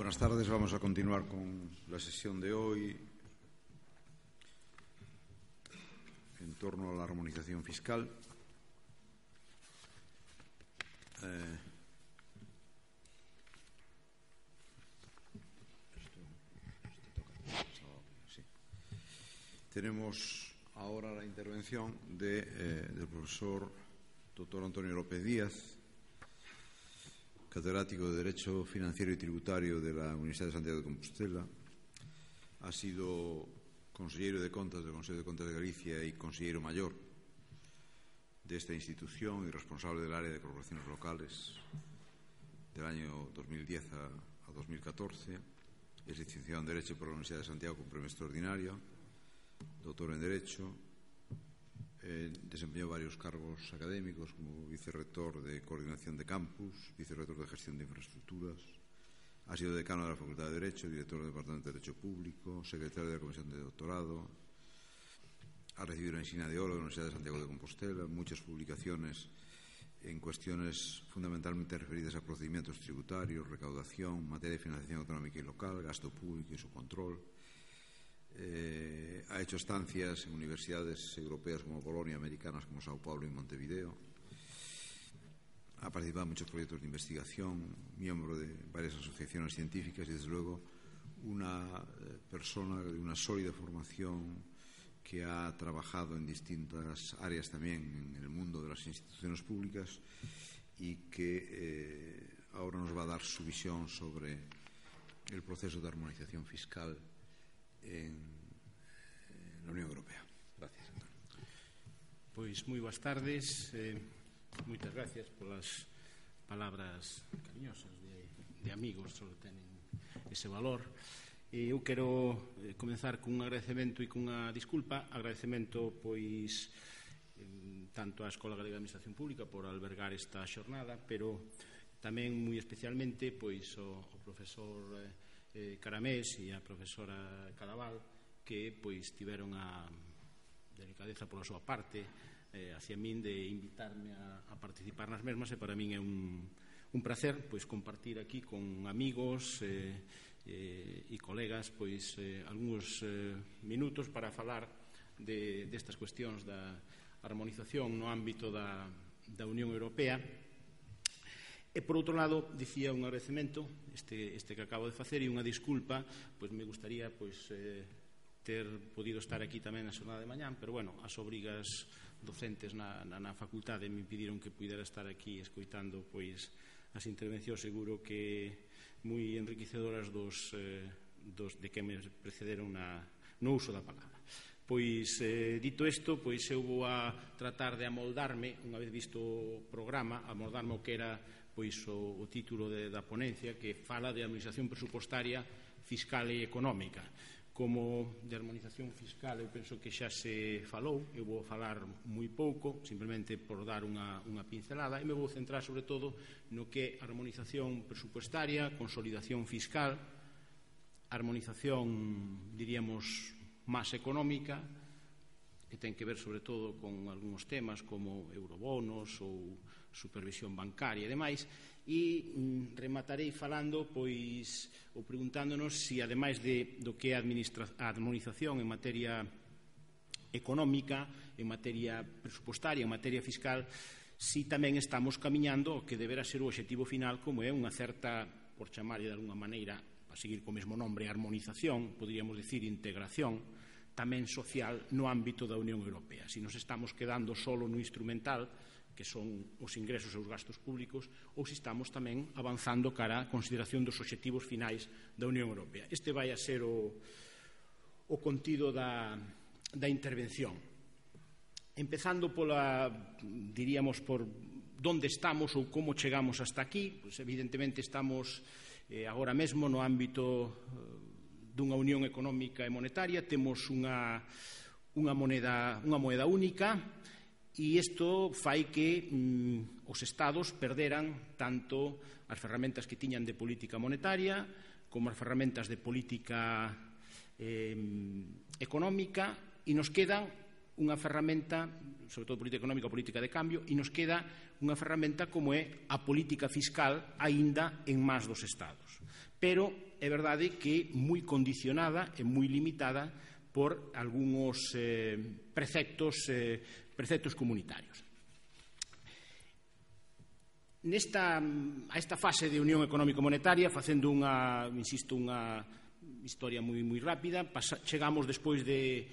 Buenas tardes. Vamos a continuar con la sesión de hoy en torno a la armonización fiscal. Tenemos ahora la intervención del profesor doctor Antonio López Díaz, catedrático de Derecho Financiero y Tributario de la Universidad de Santiago de Compostela. Ha sido consellero de Contas del Consejo de Contas de Galicia y consellero mayor de esta institución y responsable del área de corporaciones locales del año 2010 a 2014. Es licenciado en Derecho por la Universidad de Santiago con premio extraordinario, doctor en Derecho. Desempeñó varios cargos académicos como vicerrector de Coordinación de Campus, vicerrector de Gestión de Infraestructuras. Ha sido decano de la Facultad de Derecho, director del Departamento de Derecho Público, secretario de la Comisión de Doctorado. Ha recibido la insignia de oro de la Universidad de Santiago de Compostela, muchas publicaciones en cuestiones fundamentalmente referidas a procedimientos tributarios, recaudación, materia de financiación autonómica y local, gasto público y su control. Ha hecho estancias en universidades europeas como Bolonia, americanas como Sao Paulo y Montevideo. Ha participado en muchos proyectos de investigación, miembro de varias asociaciones científicas y, desde luego, una persona de una sólida formación que ha trabajado en distintas áreas también en el mundo de las instituciones públicas y que ahora nos va a dar su visión sobre el proceso de armonización fiscal en la Unión Europea. Gracias, Antonio. Pois moi boas tardes, moitas gracias polas palabras cariñosas de amigos, só tenen ese valor. Eu quero comenzar cun agradecemento e cunha disculpa. Agradecemento pois tanto á Escola Galega de Administración Pública por albergar esta xornada, pero tamén moi especialmente pois o profesor Caramés e a profesora Cadaval, que pois tiveron a delicadeza pola súa parte hacia min de invitarme a participar nas mesmas, e para min é un placer pois compartir aquí con amigos e colegas pois algúns minutos para falar destas cuestións da armonización no ámbito da Unión Europea. E, por outro lado, dicía un agradecemento, este que acabo de facer, e unha disculpa, pois me gustaría ter podido estar aquí tamén na xornada de mañán, pero, bueno, as obrigas docentes na facultade me impediron que pudera estar aquí escoitando pois as intervencións, seguro que moi enriquecedoras de que me precederon no uso da palabra. Pois, dito isto, pois eu vou a tratar de amoldarme, unha vez visto o programa, amoldarme o que era pois o título da ponencia, que fala de armonización presupostaria, fiscal e económica. Como de armonización fiscal eu penso que xa se falou, eu vou falar moi pouco, simplemente por dar unha pincelada, e me vou centrar sobre todo no que é armonización presupostaria, consolidación fiscal, armonización, diríamos, máis económica, que ten que ver sobre todo con algúns temas como eurobonos ou supervisión bancaria e demais, e rematarei falando pois ou preguntándonos se, ademais do que é a armonización en materia económica, en materia presupostaria, en materia fiscal, si tamén estamos camiñando ao que deberá ser o obxectivo final, como é unha certa, por chamarlle de alguna maneira, a seguir co mesmo nombre, armonización, poderíamos dicir integración tamén social no ámbito da Unión Europea. Si nos estamos quedando solo no instrumental, que son os ingresos e os gastos públicos, ou se estamos tamén avanzando cara a consideración dos obxectivos finais da Unión Europea. Este vai a ser o contido da intervención. Empezando diríamos, por onde estamos ou como chegamos hasta aquí, pues evidentemente estamos agora mesmo no ámbito dunha unión económica e monetaria, temos unha moeda única, e isto fai que os estados perderan tanto as ferramentas que tiñan de política monetaria como as ferramentas de política económica, e nos quedan unha ferramenta, sobre todo política económica, política de cambio, e nos queda unha ferramenta como é a política fiscal aínda en más dos estados. Pero é verdade que moi condicionada e moi limitada por algúns preceptos comunitarios. A esta fase de Unión Económico-Monetaria, facendo unha historia moi rápida, chegamos despois de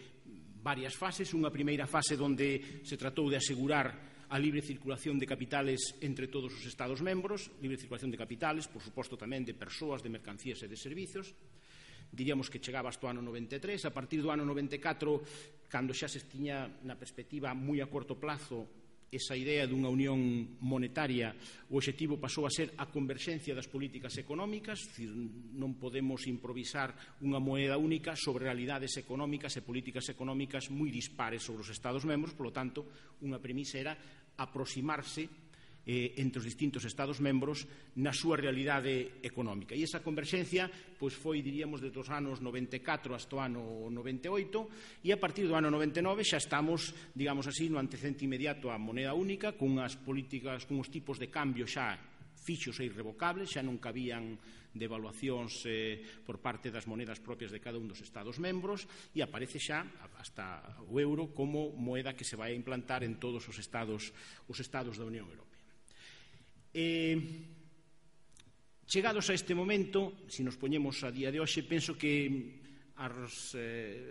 varias fases. Unha primeira fase onde se tratou de asegurar a libre circulación de capitales entre todos os Estados membros, libre circulación de capitales, por suposto tamén de persoas, de mercancías e de servizos. Diríamos que chegaba hasta o ano 93. A partir do ano 94, cando xa se tiña na perspectiva moi a corto plazo esa idea dunha unión monetaria, o obxectivo pasou a ser a converxencia das políticas económicas, non podemos improvisar unha moeda única sobre realidades económicas e políticas económicas moi dispares sobre os Estados membros. Polo tanto, unha premisa era aproximarse entre os distintos Estados membros na súa realidade económica. E esa converxencia foi, diríamos, desde os anos 94 hasta o ano 98, e a partir do ano 99 xa estamos, digamos así, no antecedente inmediato á moneda única, con unhas políticas, con uns tipos de cambio xa fixos e irrevocables, xa non cabían devaluacións por parte das monedas propias de cada un dos Estados membros, e aparece xa hasta o euro como moeda que se vai a implantar en todos os Estados da Unión Europea. Chegados a este momento, se nos poñemos a día de hoxe, penso que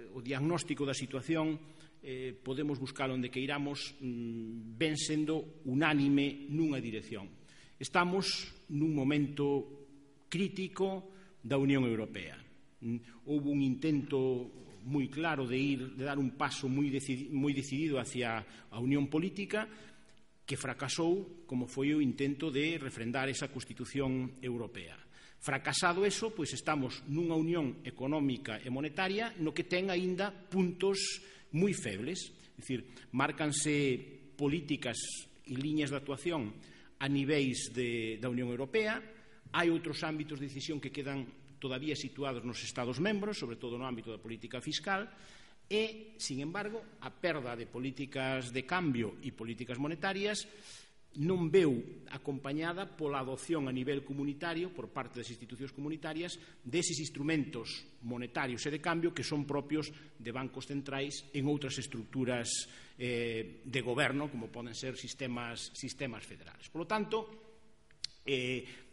o diagnóstico da situación podemos buscar onde queiramos, ven sendo unánime nunha dirección. Estamos nun momento crítico da Unión Europea. Houve un intento moi claro de dar un paso moi decidido hacia a unión política, que fracasou, como foi o intento de refrendar esa Constitución Europea. Fracasado eso, pois estamos nunha unión económica e monetaria no que ten aínda puntos moi febles, é dicir, márcanse políticas e liñas de actuación a niveis da Unión Europea, hai outros ámbitos de decisión que quedan todavía situados nos Estados membros, sobre todo no ámbito da política fiscal, e, sin embargo, a perda de políticas de cambio e políticas monetarias non veu acompañada pola adopción a nivel comunitario por parte das institucións comunitarias deses instrumentos monetarios e de cambio que son propios de bancos centrais en outras estructuras de goberno, como poden ser sistemas federales. Por lo tanto,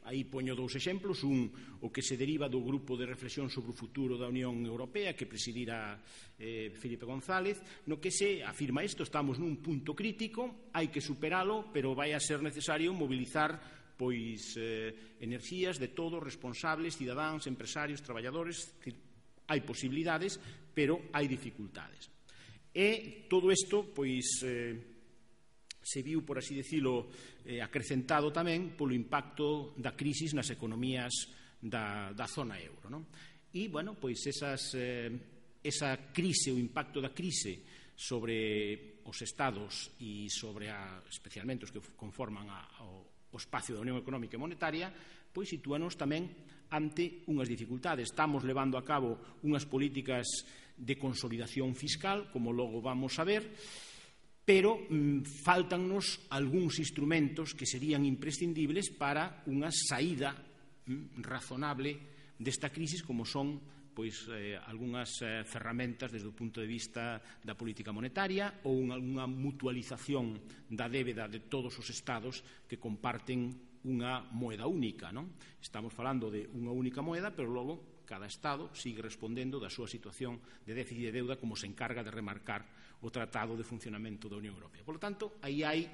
aí poño dous exemplos, o que se deriva do grupo de reflexión sobre o futuro da Unión Europea que presidira Felipe González, no que se afirma isto: estamos nun punto crítico, hai que superalo, pero vai a ser necesario mobilizar enerxías de todos, responsables, cidadáns, empresarios, traballadores. Hai posibilidades, pero hai dificultades. E todo isto, se viu, por así decirlo, acrecentado tamén polo impacto da crisis nas economías da zona euro. E, esa crise, o impacto da crise sobre os Estados e sobre especialmente os que conforman o espacio da Unión Económica e Monetaria, sitúanos tamén ante unhas dificultades. Estamos levando a cabo unhas políticas de consolidación fiscal, como logo vamos a ver, pero faltannos algúns instrumentos que serían imprescindibles para unha saída razonable desta crisis, como son algunhas ferramentas desde o punto de vista da política monetaria ou unha mutualización da débeda de todos os estados que comparten unha moeda única. Estamos falando de unha única moeda, pero logo cada estado sigue respondendo da súa situación de déficit de deuda, como se encarga de remarcar o Tratado de Funcionamento da Unión Europea. Por lo tanto, aí hai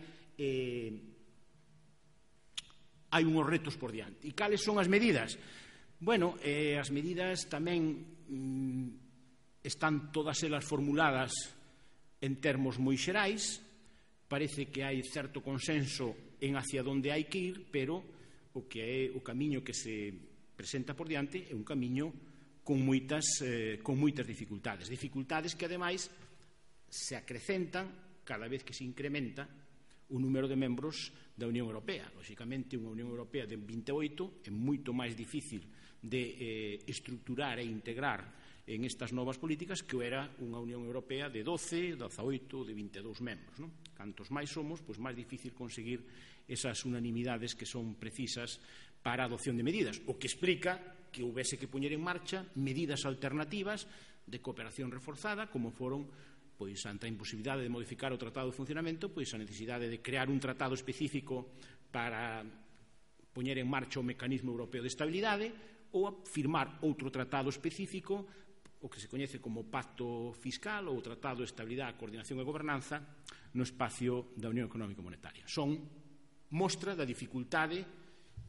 unhos retos por diante. E cales son as medidas? As medidas tamén están todas elas formuladas en termos moi xerais. Parece que hai certo consenso en hacia onde hai que ir, pero o que é o camiño que se presenta por diante é un camiño con moitas dificultades. Dificultades que, ademais, se acrecentan cada vez que se incrementa o número de membros da Unión Europea. Lóxicamente, unha Unión Europea de 28 é moito máis difícil de estructurar e integrar en estas novas políticas que era unha Unión Europea de 12, 18, de 22 membros. Cantos máis somos, máis difícil conseguir esas unanimidades que son precisas para a adopción de medidas, o que explica que houbese que poñer en marcha medidas alternativas de cooperación reforzada, como foron, pois, ante a imposibilidade de modificar o Tratado de Funcionamento, pois a necesidade de crear un tratado específico para poñer en marcha o Mecanismo Europeo de Estabilidade ou a firmar outro tratado específico, o que se coñece como Pacto Fiscal ou Tratado de Estabilidade, Coordinación e Gobernanza no espacio da Unión Económica e Monetaria. Son mostra da dificultade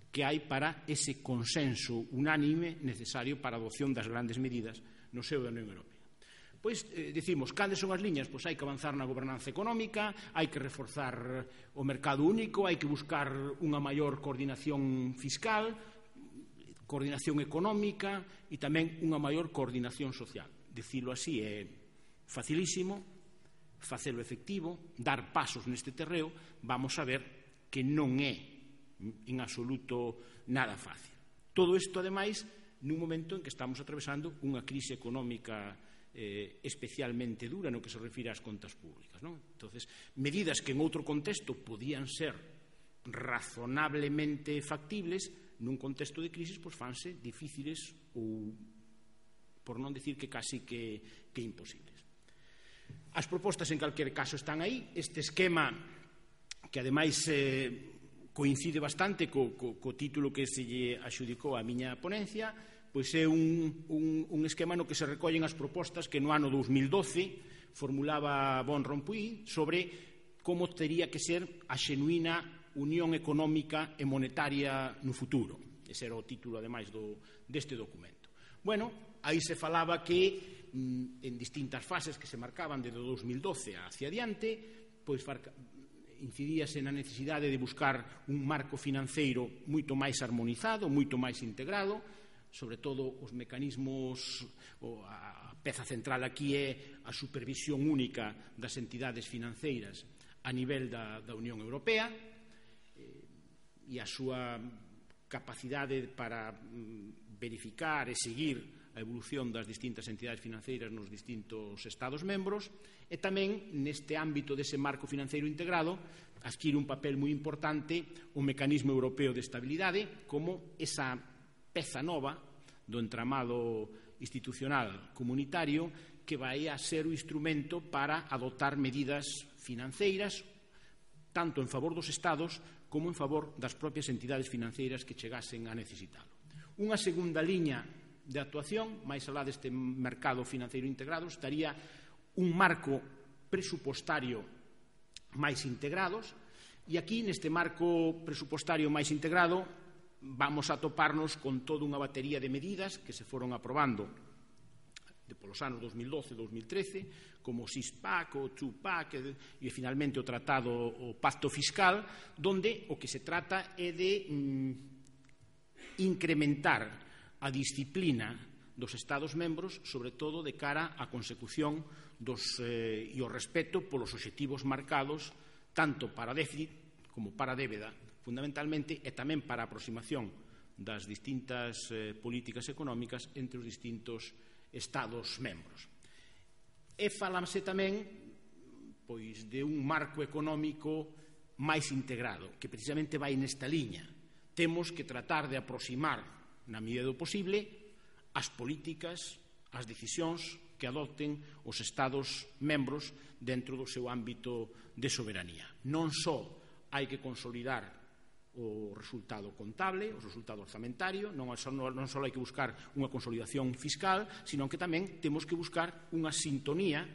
que hai para ese consenso unánime necesario para a adopción das grandes medidas no seo da Unión Europea. Pois, dicimos, cales son as liñas? Pois hai que avanzar na gobernanza económica, hai que reforzar o mercado único, hai que buscar unha maior coordinación fiscal, coordinación económica e tamén unha maior coordinación social. Dicilo así é facilísimo, facelo efectivo, dar pasos neste terreo, vamos a ver que non é en absoluto nada fácil. Todo isto, ademais, nun momento en que estamos atravesando unha crise económica especialmente dura no que se refire ás contas públicas, non? Entonces, medidas que en outro contexto podían ser razonablemente factibles, nun contexto de crisis, pois fanse difíciles ou, por non decir que casi que imposibles. As propostas, en calquer caso, están aí. Este esquema, que ademais coincide bastante co título que se lle axudicou a miña ponencia, pois é un esquema no que se recollen as propostas que no ano 2012 formulaba Van Rompuy sobre como tería que ser a xenuína unión económica e monetaria no futuro. Ese era o título, ademais, deste documento. Bueno, aí se falaba que en distintas fases que se marcaban desde o 2012 hacia adiante, pois incidíase na necesidade de buscar un marco financeiro moito máis armonizado, moito máis integrado, sobre todo os mecanismos, a peza central aquí é a supervisión única das entidades financeiras a nivel da Unión Europea e a súa capacidade para verificar e seguir a evolución das distintas entidades financeiras nos distintos Estados membros, e tamén neste ámbito dese marco financeiro integrado adquire un papel moi importante o Mecanismo Europeo de Estabilidade como esa peza nova do entramado institucional comunitario que vai a ser o instrumento para adoptar medidas financeiras tanto en favor dos Estados como en favor das propias entidades financeiras que chegasen a necesitalo. Unha segunda liña de actuación, máis alá deste mercado financeiro integrado, estaría un marco presupostario máis integrados, e aquí neste marco presupostario máis integrado vamos a toparnos con toda unha batería de medidas que se foron aprobando polos anos 2012-2013, como o Six-Pack, o Two-Pack e finalmente o tratado, o Pacto Fiscal, donde o que se trata é de incrementar a disciplina dos Estados membros, sobre todo de cara á consecución e o respeto polos obxectivos marcados tanto para déficit como para débeda, fundamentalmente, e tamén para a aproximación das distintas políticas económicas entre os distintos Estados membros. E falamse tamén pois de un marco económico máis integrado, que precisamente vai nesta liña. Temos que tratar de aproximar, na medida do posible, as políticas, as decisións que adopten os Estados membros dentro do seu ámbito de soberanía. Non só hai que consolidar o resultado contable, o resultado orzamentario, non só hai que buscar unha consolidación fiscal, sino que tamén temos que buscar unha sintonía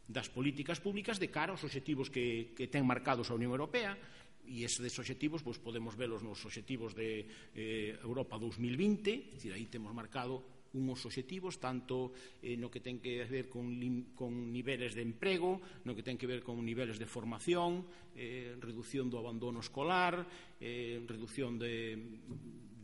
das políticas públicas de cara aos obxectivos que ten marcados a Unión Europea, e eses obxectivos podemos velos nos obxectivos de Europa 2020, é dicir, aí temos marcado unhos obxectivos tanto no que ten que ver con niveles de emprego, no que ten que ver con niveles de formación, reducción do abandono escolar, reducción de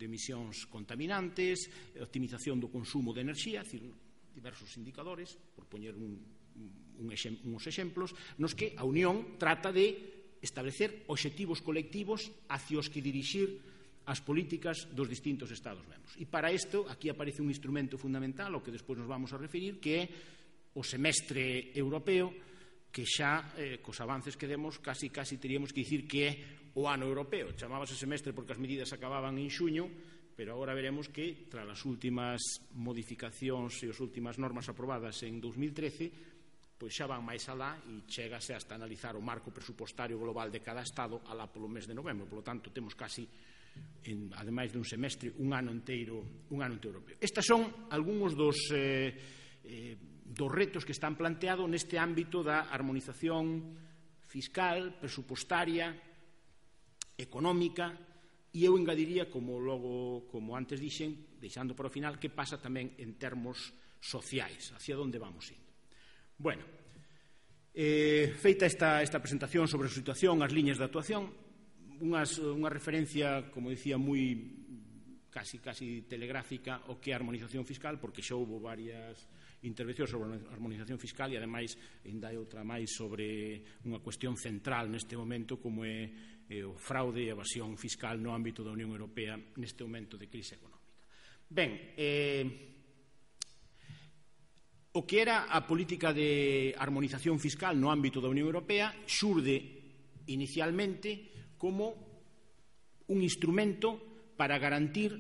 emisións contaminantes, optimización do consumo de enerxía, é dicir, diversos indicadores, por poñer uns exemplos, nos que a Unión trata de establecer obxectivos colectivos hacia os que dirixir as políticas dos distintos Estados membros. E para isto, aquí aparece un instrumento fundamental, ao que despois nos vamos a referir, que é o semestre europeo, que xa, cos avances que demos, casi teríamos que dicir que é o ano europeo. Chamábase semestre porque as medidas acababan en xuño, pero agora veremos que, tras as últimas modificacións e as últimas normas aprobadas en 2013, pois xa van máis alá e chégase hasta analizar o marco presupostario global de cada Estado alá polo mes de novembro. Por lo tanto, temos casi, ademais dun semestre, un ano inteiro europeo. Estes son algúns dos retos que están planteados neste ámbito da armonización fiscal, presupostaria, económica, e eu engadiría, como antes dixen, deixando para o final, que pasa tamén en termos sociais, hacia onde vamos indo. Bueno, feita esta presentación sobre a situación, as liñas de actuación, unha referencia, como dicía, moi casi telegráfica o que é a armonización fiscal, porque xa houve varias intervencións sobre a armonización fiscal e, ademais, ainda hai outra máis sobre unha cuestión central neste momento, como é o fraude e evasión fiscal no ámbito da Unión Europea neste momento de crise económica. Ben, o que era a política de armonización fiscal no ámbito da Unión Europea xurde inicialmente como un instrumento para garantir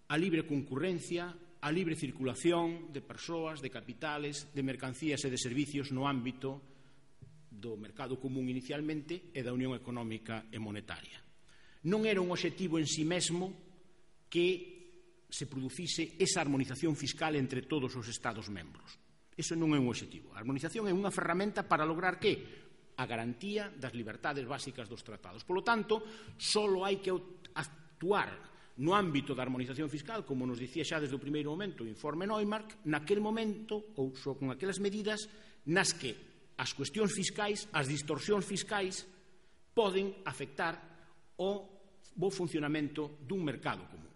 a libre concurrencia, a libre circulación de persoas, de capitales, de mercancías e de servicios no ámbito do mercado común inicialmente e da Unión Económica e Monetaria. Non era un obxectivo en si mesmo que se producise esa armonización fiscal entre todos os Estados membros. Eso non é un obxectivo. A armonización é unha ferramenta para lograr que? A garantía das libertades básicas dos tratados. Por lo tanto, só hai que actuar no ámbito da armonización fiscal, como nos dicía xa desde o primeiro momento o informe Neumark, naquel momento ou só con aquelas medidas nas que as cuestións fiscais, as distorsións fiscais poden afectar o bo funcionamento dun mercado común.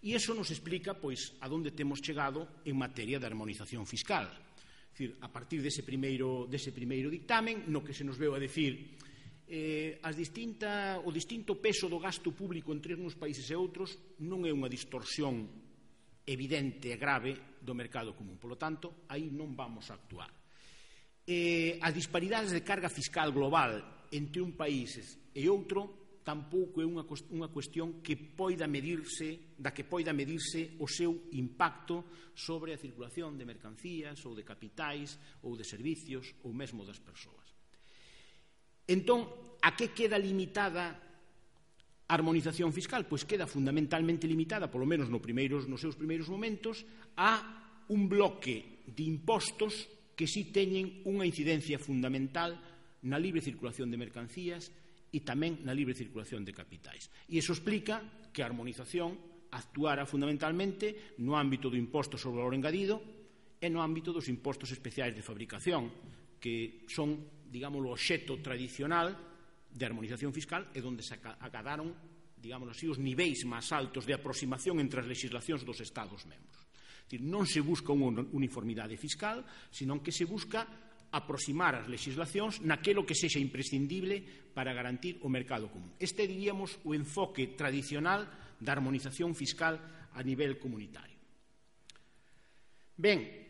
E iso nos explica, pois, a onde temos chegado en materia de armonización fiscal. É dicir, a partir dese primeiro dictamen, no que se nos veu a decir o distinto peso do gasto público entre uns países e outros non é unha distorsión evidente e grave do mercado común. Por lo tanto, aí non vamos a actuar. As disparidades de carga fiscal global entre un país e outro tampouco é unha cuestión que poida medirse o seu impacto sobre a circulación de mercancías ou de capitais ou de servicios ou mesmo das persoas. Entón, a que queda limitada a armonización fiscal? Pois queda fundamentalmente limitada, polo menos nos seus primeiros momentos, a un bloque de impostos que si teñen unha incidencia fundamental na libre circulación de mercancías e tamén na libre circulación de capitais. E iso explica que a armonización actuara fundamentalmente no ámbito do imposto sobre o valor engadido e no ámbito dos impostos especiais de fabricación, que son, digamos, o obxecto tradicional de armonización fiscal e onde se acadaron, digamos así, os niveis máis altos de aproximación entre as legislacións dos Estados membros. Non se busca unha uniformidade fiscal, senón que se busca aproximar as legislacións naquelo que sexa imprescindible para garantir o mercado común. Este, diríamos, o enfoque tradicional da armonización fiscal a nivel comunitario. Ben,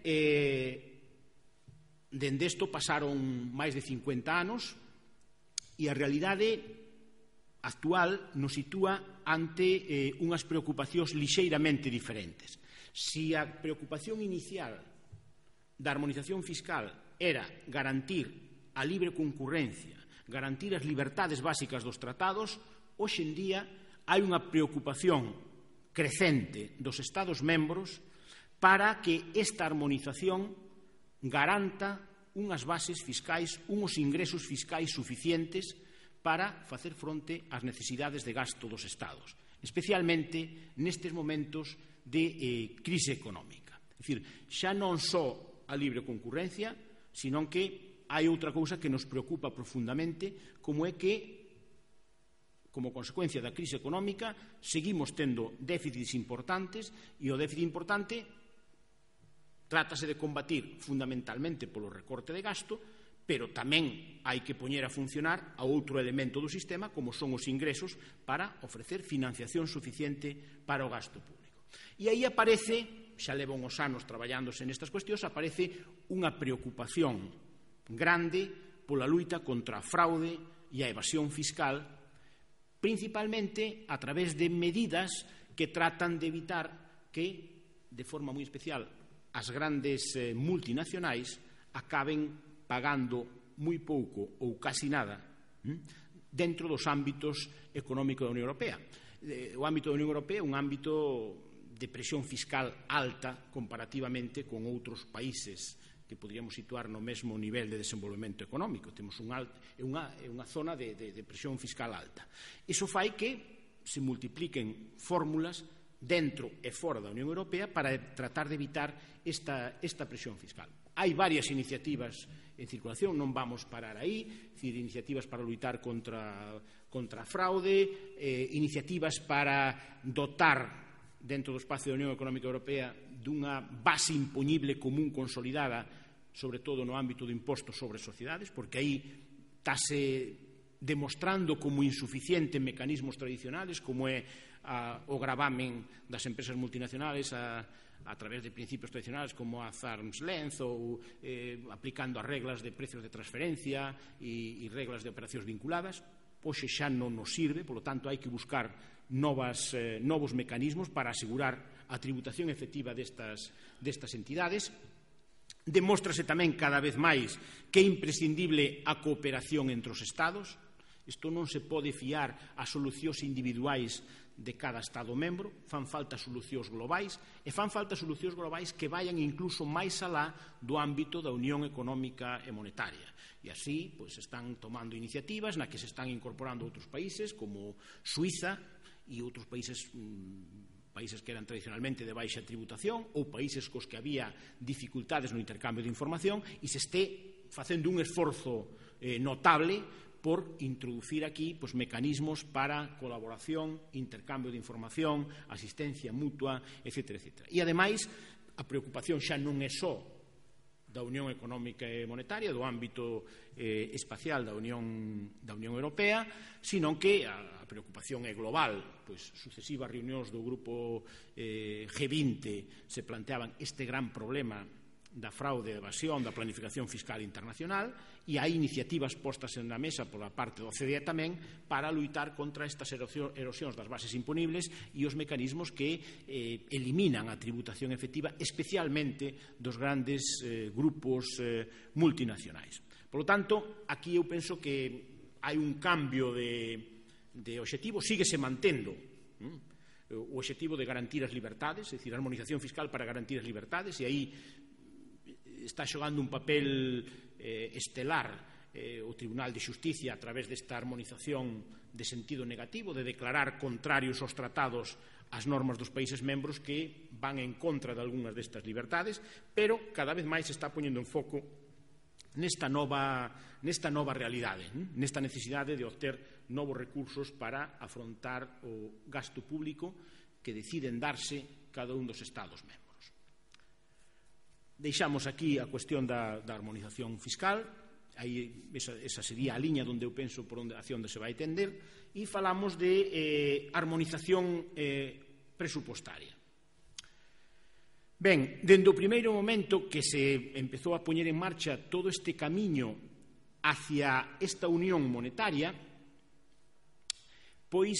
dende isto pasaron máis de 50 anos e a realidade actual nos sitúa ante unhas preocupacións lixeiramente diferentes. Si a preocupación inicial da armonización fiscal era garantir a libre concurrencia, garantir as libertades básicas dos tratados, hoxe en día hai unha preocupación crecente dos Estados membros para que esta armonización garanta unhas bases fiscais, uns ingresos fiscais suficientes para facer fronte ás necesidades de gasto dos Estados, especialmente nestes momentos de crise económica. É dicir, xa non só a libre concurrencia, senón que hai outra cousa que nos preocupa profundamente, como é que, como consecuencia da crise económica, seguimos tendo déficits importantes e o déficit importante trátase de combatir fundamentalmente polo recorte de gasto, pero tamén hai que poñer a funcionar a outro elemento do sistema, como son os ingresos, para ofrecer financiación suficiente para o gasto público. E aí aparece, xa leva uns anos traballándose nestas cuestións, aparece unha preocupación grande pola luita contra a fraude e a evasión fiscal, principalmente a través de medidas que tratan de evitar que, de forma moi especial, as grandes multinacionais acaben pagando moi pouco ou casi nada dentro dos ámbitos económicos da Unión Europea. O ámbito da Unión Europea é un ámbito de presión fiscal alta comparativamente con outros países que poderíamos situar no mesmo nivel de desenvolvemento económico. Temos unha zona de presión fiscal alta. Iso fai que se multipliquen fórmulas dentro e fora da Unión Europea para tratar de evitar esta presión fiscal. Hai varias iniciativas en circulación, non vamos parar aí, iniciativas para luitar contra a fraude, iniciativas para dotar dentro do espacio da Unión Económica Europea dunha base impoñible común consolidada, sobre todo no ámbito do imposto sobre sociedades, porque aí estáse demostrando como insuficiente en mecanismos tradicionales, como é o gravamen das empresas multinacionales a través de principios tradicionales como a arm's length ou aplicando as reglas de precios de transferencia e reglas de operacións vinculadas. Hoxe xa non nos sirve, polo tanto hai que buscar novos mecanismos para asegurar a tributación efectiva destas entidades. Demóstrase tamén cada vez máis que é imprescindible a cooperación entre os Estados. Isto non se pode fiar a solucións individuais de cada Estado membro, fan falta solucións globais, e fan falta solucións globais que vayan incluso máis alá do ámbito da Unión Económica e Monetaria. E así, están tomando iniciativas na que se están incorporando outros países como Suiza e outros países que eran tradicionalmente de baixa tributación ou países cos que había dificultades no intercambio de información, e se este facendo un esforzo notable por introducir aquí mecanismos para colaboración, intercambio de información, asistencia mutua, etc. E, ademais, a preocupación xa non é só da Unión Económica e Monetaria, do ámbito espacial da Unión Europea, sino que a preocupación é global. Sucesivas reunións do grupo G20 se planteaban este gran problema da fraude, da evasión, da planificación fiscal internacional, e hai iniciativas postas na mesa pola parte do OCDE tamén para luitar contra estas erosións das bases imponibles e os mecanismos que eliminan a tributación efectiva, especialmente dos grandes grupos multinacionais. Por lo tanto, aquí eu penso que hai un cambio de obxectivo, síguese mantendo o obxectivo de garantir as libertades, é dicir, a armonización fiscal para garantir as libertades, e aí está xogando un papel estelar o Tribunal de Xusticia a través desta armonización de sentido negativo, de declarar contrarios aos tratados as normas dos países membros que van en contra de algunhas destas libertades, pero cada vez máis se está poñendo en foco nesta nova realidade, nesta necesidade de obter novos recursos para afrontar o gasto público que deciden darse cada un dos Estados membros. Deixamos aquí a cuestión da armonización fiscal, aí esa sería a liña onde eu penso hacia onde se vai tender, e falamos de armonización presupostaria. Ben, dende o primeiro momento que se empezou a poñer en marcha todo este camiño hacia esta unión monetaria, pois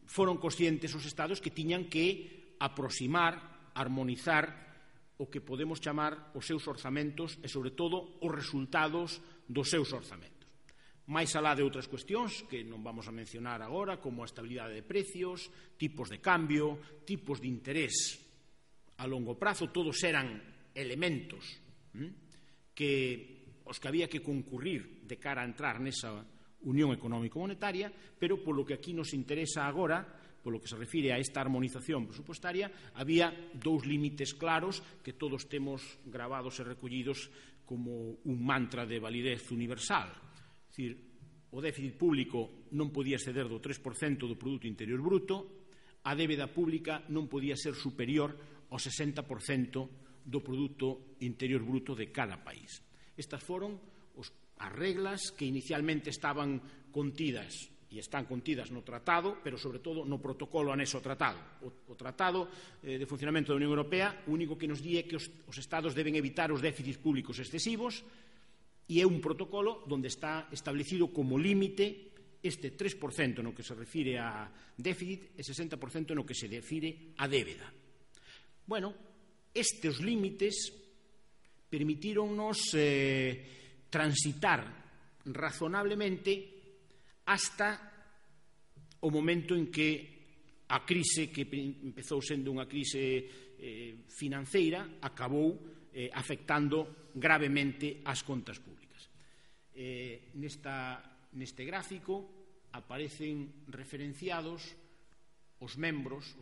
foron conscientes os Estados que tiñan que aproximar, armonizar o que podemos chamar os seus orzamentos e, sobre todo, os resultados dos seus orzamentos. Máis alá de outras cuestións que non vamos a mencionar agora, como a estabilidade de precios, tipos de cambio, tipos de interés a longo prazo, todos eran elementos que os que había que concurrir de cara a entrar nesa Unión Económico-Monetaria, pero polo que aquí nos interesa agora, polo que se refire a esta armonización presupostaria, había dous límites claros que todos temos gravados e recollidos como un mantra de validez universal. É dicir, o déficit público non podía exceder do 3% do Produto Interior Bruto, a débeda pública non podía ser superior ao 60% do Produto Interior Bruto de cada país. Estas foron as reglas que inicialmente estaban contidas e están contidas no tratado, pero sobre todo no protocolo anexo ao tratado. O tratado de funcionamento da Unión Europea o único que nos di é que os Estados deben evitar os déficits públicos excesivos, e é un protocolo onde está establecido como límite este 3% no que se refire a déficit e 60% no que se refire a débeda. Bueno, estes límites permitíronnos transitar razonablemente hasta o momento en que a crise, que empezou sendo unha crise financeira, acabou afectando gravemente as contas públicas. Neste gráfico aparecen referenciados os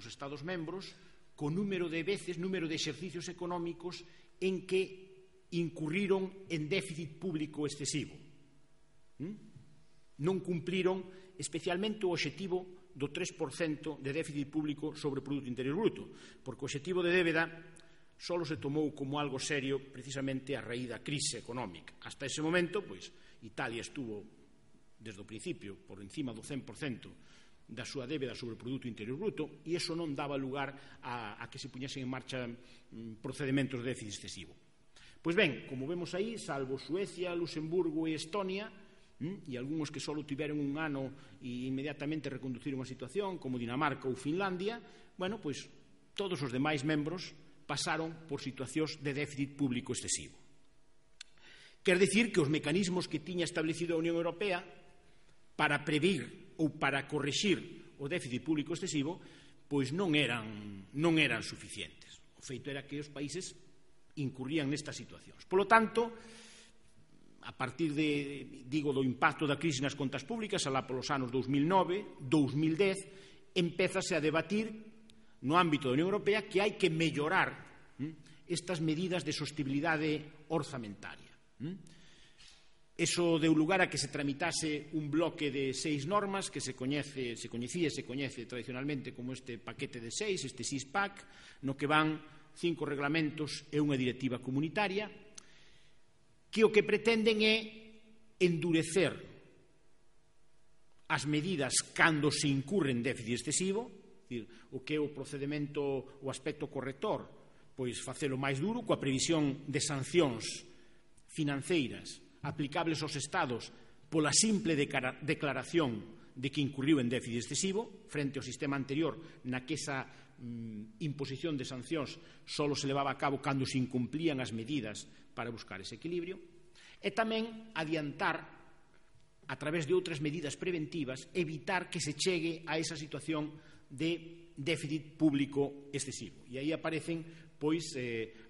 Estados membros, co número de veces, número de exercicios económicos en que incurriron en déficit público excesivo. Non cumpliron especialmente o obxectivo do 3% de déficit público sobre o Produto Interior Bruto, porque o obxectivo de débeda só se tomou como algo serio precisamente a raíz da crise económica. Hasta ese momento, pois, Italia estuvo desde o principio por encima do 100% da súa débeda sobre o Produto Interior Bruto, e iso non daba lugar a que se puñesen en marcha procedementos de déficit excesivo. Pois ben, como vemos aí, salvo Suecia, Luxemburgo e Estonia, e algúns que só tiveron un ano e inmediatamente reconduciron a situación, como Dinamarca ou Finlandia, bueno, pois todos os demais membros pasaron por situacións de déficit público excesivo. Quer dicir que os mecanismos que tiña establecido a Unión Europea para previr ou para corrixir o déficit público excesivo, pois non eran suficientes. O feito era que os países incurrían nestas situacións. Polo tanto, a partir do impacto da crise nas contas públicas, alá polos anos 2009, 2010, empézase a debatir no ámbito da Unión Europea que hai que mellorar estas medidas de sostenibilidade orzamentaria. Eso deu lugar a que se tramitase un bloque de 6 normas que se coñece tradicionalmente como este paquete de 6, este six-pack, no que van 5 reglamentos e unha directiva comunitaria, que o que pretenden é endurecer as medidas cando se incurre en déficit excesivo, o que é o procedimento, o aspecto corrector, pois facelo máis duro coa previsión de sancións financeiras aplicables aos Estados pola simple declaración de que incurriu en déficit excesivo, frente ao sistema anterior na que esa imposición de sancións só se levaba a cabo cando se incumplían as medidas para buscar ese equilibrio, e tamén adiantar, a través de outras medidas preventivas, evitar que se chegue a esa situación de déficit público excesivo. E aí aparecen pois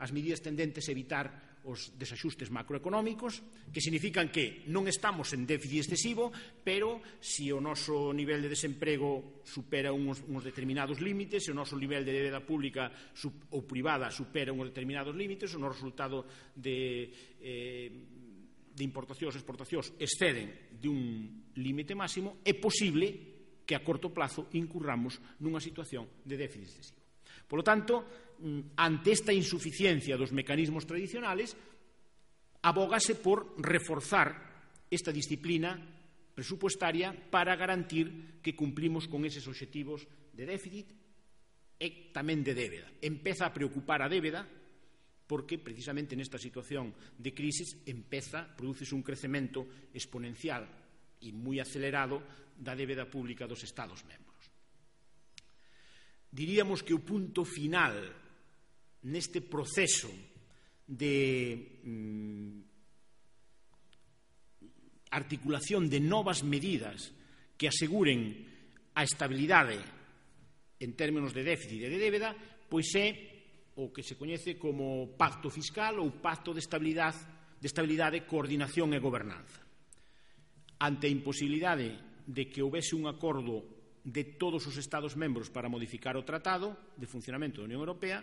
as medidas tendentes a evitar os desaxustes macroeconómicos, que significan que non estamos en déficit excesivo, pero se o noso nivel de desemprego supera uns determinados límites, se o noso nivel de débeda pública ou privada supera uns determinados límites, o noso resultado de importacións e exportacións exceden de un límite máximo, é posible que a corto plazo incurramos nunha situación de déficit excesivo. Por lo tanto, ante esta insuficiencia dos mecanismos tradicionales, abógase por reforzar esta disciplina presupuestaria para garantir que cumplimos con eses obxectivos de déficit e tamén de débeda. Empeza a preocupar a débeda porque precisamente nesta situación de crisis prodúcese un crecemento exponencial e moi acelerado da débeda pública dos Estados membros. Diríamos que o punto final neste proceso de articulación de novas medidas que aseguren a estabilidade en términos de déficit e de débeda, pois é o que se coñece como pacto fiscal ou pacto de estabilidade, coordinación e gobernanza. Ante a imposibilidade de que houbese un acordo de todos os Estados membros para modificar o Tratado de Funcionamento da Unión Europea,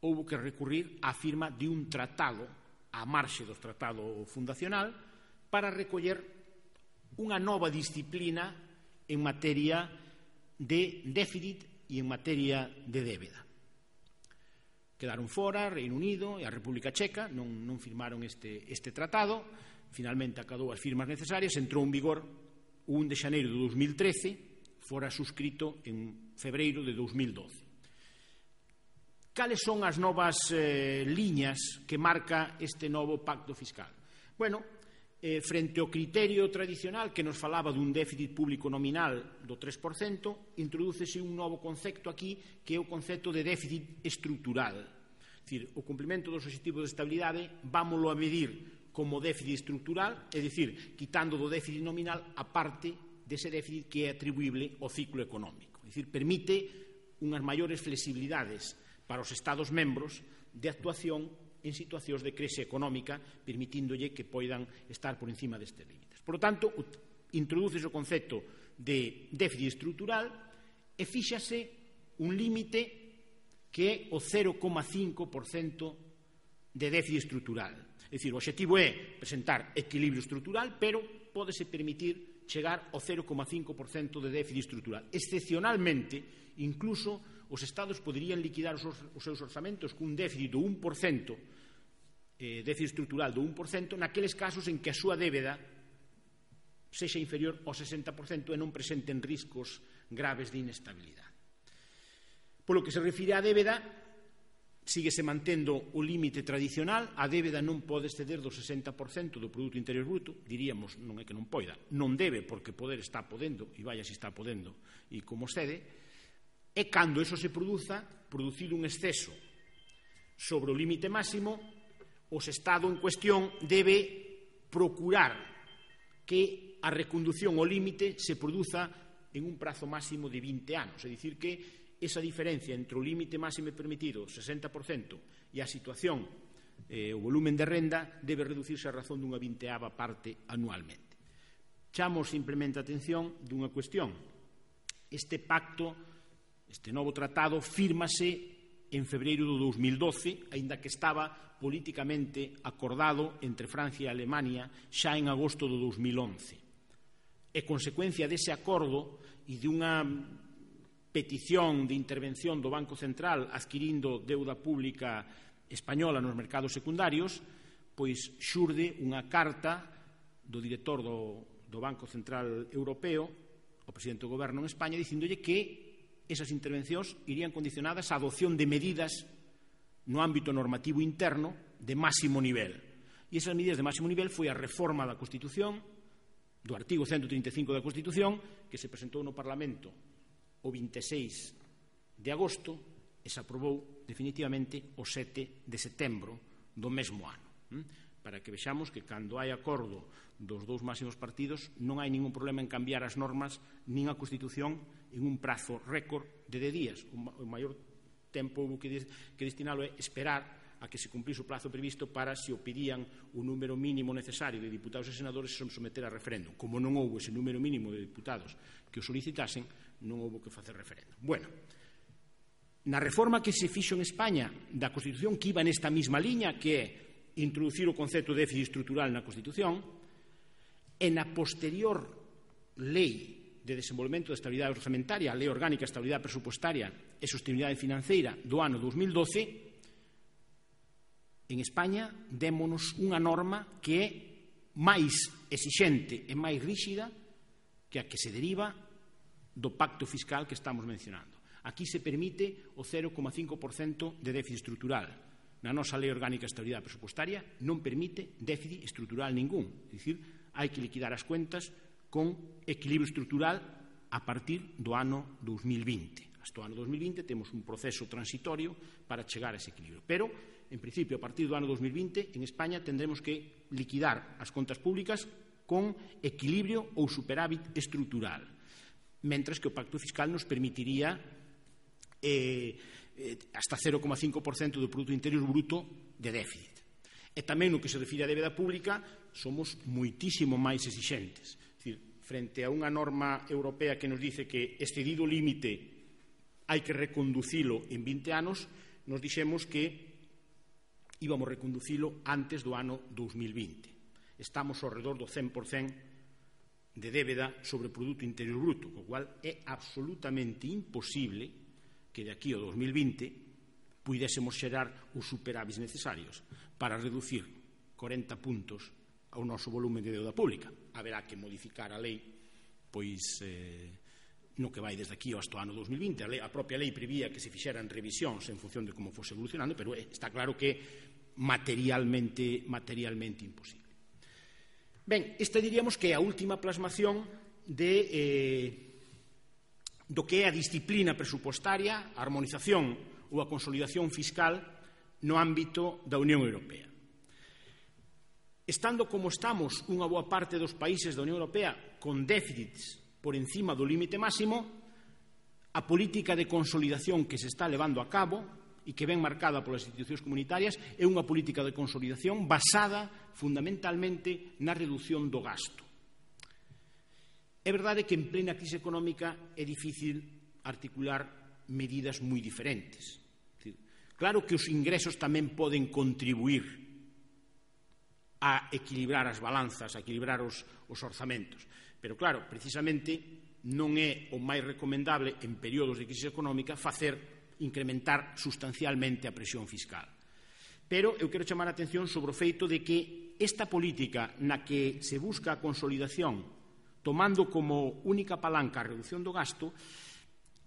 houbo que recurrir á firma de un tratado á marxe do Tratado Fundacional para recoller unha nova disciplina en materia de déficit e en materia de débeda. Quedaron fora Reino Unido e a República Checa, non firmaron este tratado, finalmente acadou as firmas necesarias, entrou en vigor o 1 de xaneiro de 2013, fora suscrito en febreiro de 2012. Cales son as novas liñas que marca este novo pacto fiscal? Bueno, frente ao criterio tradicional que nos falaba dun déficit público nominal do 3%, introdúcese un novo concepto aquí, que é o concepto de déficit estrutural. É dicir, o cumprimento dos obxectivos de estabilidade vámoslo a medir como déficit estrutural, é dicir, quitando do déficit nominal a parte dese déficit que é atribuible ao ciclo económico. É dicir, permite unhas maiores flexibilidades para os Estados membros de actuación en situacións de crise económica, permitíndolle que poidan estar por encima destes límites. Por lo tanto, introduce o concepto de déficit estrutural e fíxase un límite que é o 0,5% de déficit estrutural. É dicir, o obxectivo é presentar equilibrio estrutural, pero pódese permitir chegar ao 0,5% de déficit estrutural. Excepcionalmente, incluso os Estados poderían liquidar os seus orzamentos cun déficit do 1%, déficit estrutural do 1%, naqueles casos en que a súa débeda sexa inferior ao 60% e non presenten riscos graves de inestabilidade. Polo que se refire á débeda, síguese mantendo o límite tradicional, a débeda non pode exceder do 60% do Produto Interior Bruto, diríamos, non é que non poida, non debe, porque poder está podendo, e vaya se está podendo, e como cede, e cando eso se produza, producido un exceso sobre o límite máximo, o Estado en cuestión debe procurar que a recondución ao límite se produza en un prazo máximo de 20 anos, é dicir que esa diferencia entre o límite máximo permitido, 60%, e a situación, o volumen de renda, debe reducirse a razón dunha 20ª parte anualmente. Chamo simplemente a atención dunha cuestión. Este pacto, este novo tratado, fírmase en febreiro do 2012, aínda que estaba políticamente acordado entre Francia e Alemania xa en agosto do 2011. E consecuencia dese acordo e dunha petición de intervención do Banco Central adquirindo deuda pública española nos mercados secundarios, pois xurde unha carta do director do Banco Central Europeo, o presidente do Goberno en España, dicíndolle que esas intervencións irían condicionadas á adopción de medidas no ámbito normativo interno de máximo nivel. E esas medidas de máximo nivel foi a reforma da Constitución, do artigo 135 da Constitución, que se presentou no Parlamento o 26 de agosto e se aprobou definitivamente o 7 de setembro do mesmo ano. Para que vexamos que cando hai acordo dos dous máximos partidos non hai ningún problema en cambiar as normas nin a Constitución en un prazo récord de 10 días. O maior tempo que destinalo é esperar a que se cumplise o prazo previsto para, se o pedían o número mínimo necesario de diputados e senadores, se someter a referéndum. Como non houve ese número mínimo de diputados que o solicitasen, non houve que facer referéndum. Bueno, na reforma que se fixo en España da Constitución, que iba nesta mesma liña, que é introducir o concepto de déficit estrutural na Constitución, e na posterior lei de desenvolvemento da estabilidade orzamentaria, a Lei Orgánica de Estabilidade Presupuestaria e Sostenibilidade Financeira do ano 2012, en España démonos unha norma que é máis exixente e máis ríxida que a que se deriva do pacto fiscal que estamos mencionando. Aquí se permite o 0,5% de déficit estrutural. Na nosa Lei Orgánica de Estabilidade Presupuestaria non permite déficit estrutural ningún. É dicir, hai que liquidar as cuentas con equilibrio estrutural a partir do ano 2020. Hasta o ano 2020 temos un proceso transitorio para chegar a ese equilibrio. Pero, en principio, a partir do ano 2020, en España tendremos que liquidar as contas públicas con equilibrio ou superávit estrutural, mentres que o pacto fiscal nos permitiría hasta 0,5% do Produto Interior Bruto de déficit. E tamén no que se refire á débeda pública somos moitísimo máis exixentes. É dicir, frente a unha norma europea que nos dice que excedido o límite hai que reconducilo en 20 anos, nos dixemos que íbamos a reconducilo antes do ano 2020. Estamos ao redor do 100% de débeda sobre o Produto Interior Bruto, co cual é absolutamente imposible que de aquí ao 2020 puidésemos xerar os superávites necesarios para reducir 40 puntos ao noso volumen de deuda pública. Haberá que modificar a lei pois no que vai desde aquí hasta o ano 2020. A propia lei prevía que se fixeran revisións en función de como fose evolucionando, pero está claro que materialmente imposible. Ben, esta diríamos que é a última plasmación do que é a disciplina presupostaria, a armonización ou a consolidación fiscal no ámbito da Unión Europea. Estando como estamos unha boa parte dos países da Unión Europea con déficits por encima do límite máximo, a política de consolidación que se está levando a cabo e que ven marcada polas institucións comunitarias é unha política de consolidación basada fundamentalmente na reducción do gasto. É verdade que en plena crise económica é difícil articular medidas moi diferentes. Claro que os ingresos tamén poden contribuir a equilibrar as balanzas, a equilibrar os orzamentos. Pero claro, precisamente non é o máis recomendable en períodos de crise económica incrementar sustancialmente a presión fiscal. Pero eu quero chamar a atención sobre o feito de que esta política na que se busca a consolidación tomando como única palanca a reducción do gasto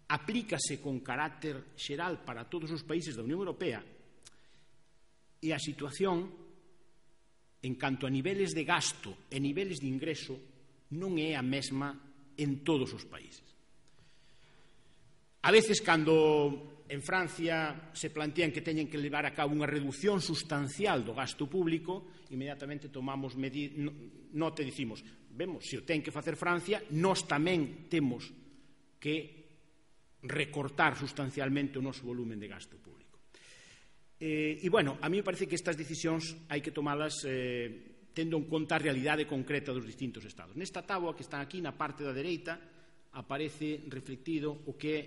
aplícase con carácter xeral para todos os países da Unión Europea e a situación en canto a niveles de gasto e niveles de ingreso non é a mesma en todos os países. A veces, cando en Francia se plantean que teñen que levar a cabo unha reducción sustancial do gasto público, inmediatamente tomamos nota e dicimos, vemos, se o ten que facer Francia, nós tamén temos que recortar sustancialmente o noso volumen de gasto público. E, bueno, a mí me parece que estas decisións hai que tomalas tendo en conta a realidade concreta dos distintos estados. Nesta táboa que está aquí, na parte da dereita, aparece reflectido o que é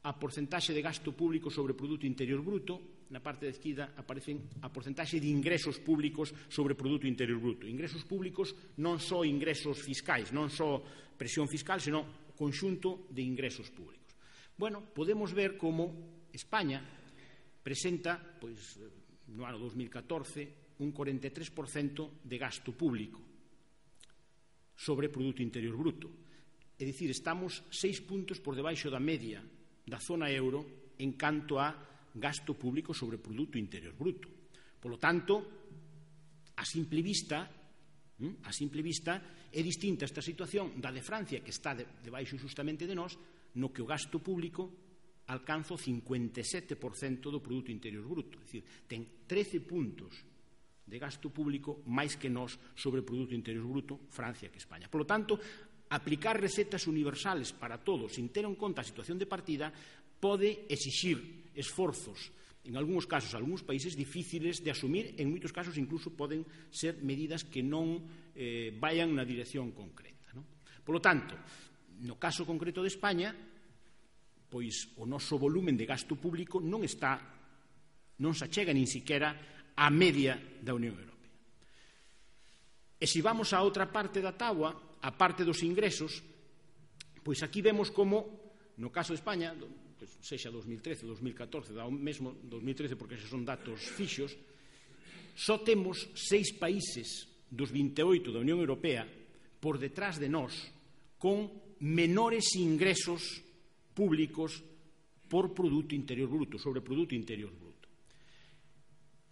a porcentaxe de gasto público sobre o Produto Interior Bruto, na parte da esquerda aparecen a porcentaxe de ingresos públicos sobre o Produto Interior Bruto. Ingresos públicos non só ingresos fiscais, non só presión fiscal, senón o conxunto de ingresos públicos. Bueno, podemos ver como España presenta, pois, no ano 2014, un 43% de gasto público sobre o Produto Interior Bruto. É dicir, estamos 6 puntos por debaixo da media da zona euro en canto a gasto público sobre o Produto Interior Bruto. Por lo tanto, a simple vista é distinta esta situación da de Francia, que está debaixo justamente de nós, no que o gasto público alcanza o 57% do Produto Interior Bruto. É dicir, ten 13 puntos de gasto público máis que nós sobre o Produto Interior Bruto, Francia que España. Por lo tanto, aplicar recetas universales para todos sin ter en conta a situación de partida pode exixir esforzos, en algúns casos, algúns países difíciles de asumir, en moitos casos incluso poden ser medidas que non vayan na dirección concreta. Por lo tanto, no caso concreto de España, pois o noso volumen de gasto público non se achega nin siquiera á media da Unión Europea. E se vamos a outra parte da táboa, a parte dos ingresos, pois aquí vemos como, no caso de España, sexa 2013 ou 2014, da mesmo 2013 porque esos son datos fixos, só temos 6 países dos 28 da Unión Europea por detrás de nós con menores ingresos públicos por Produto Interior Bruto, sobre Produto Interior Bruto.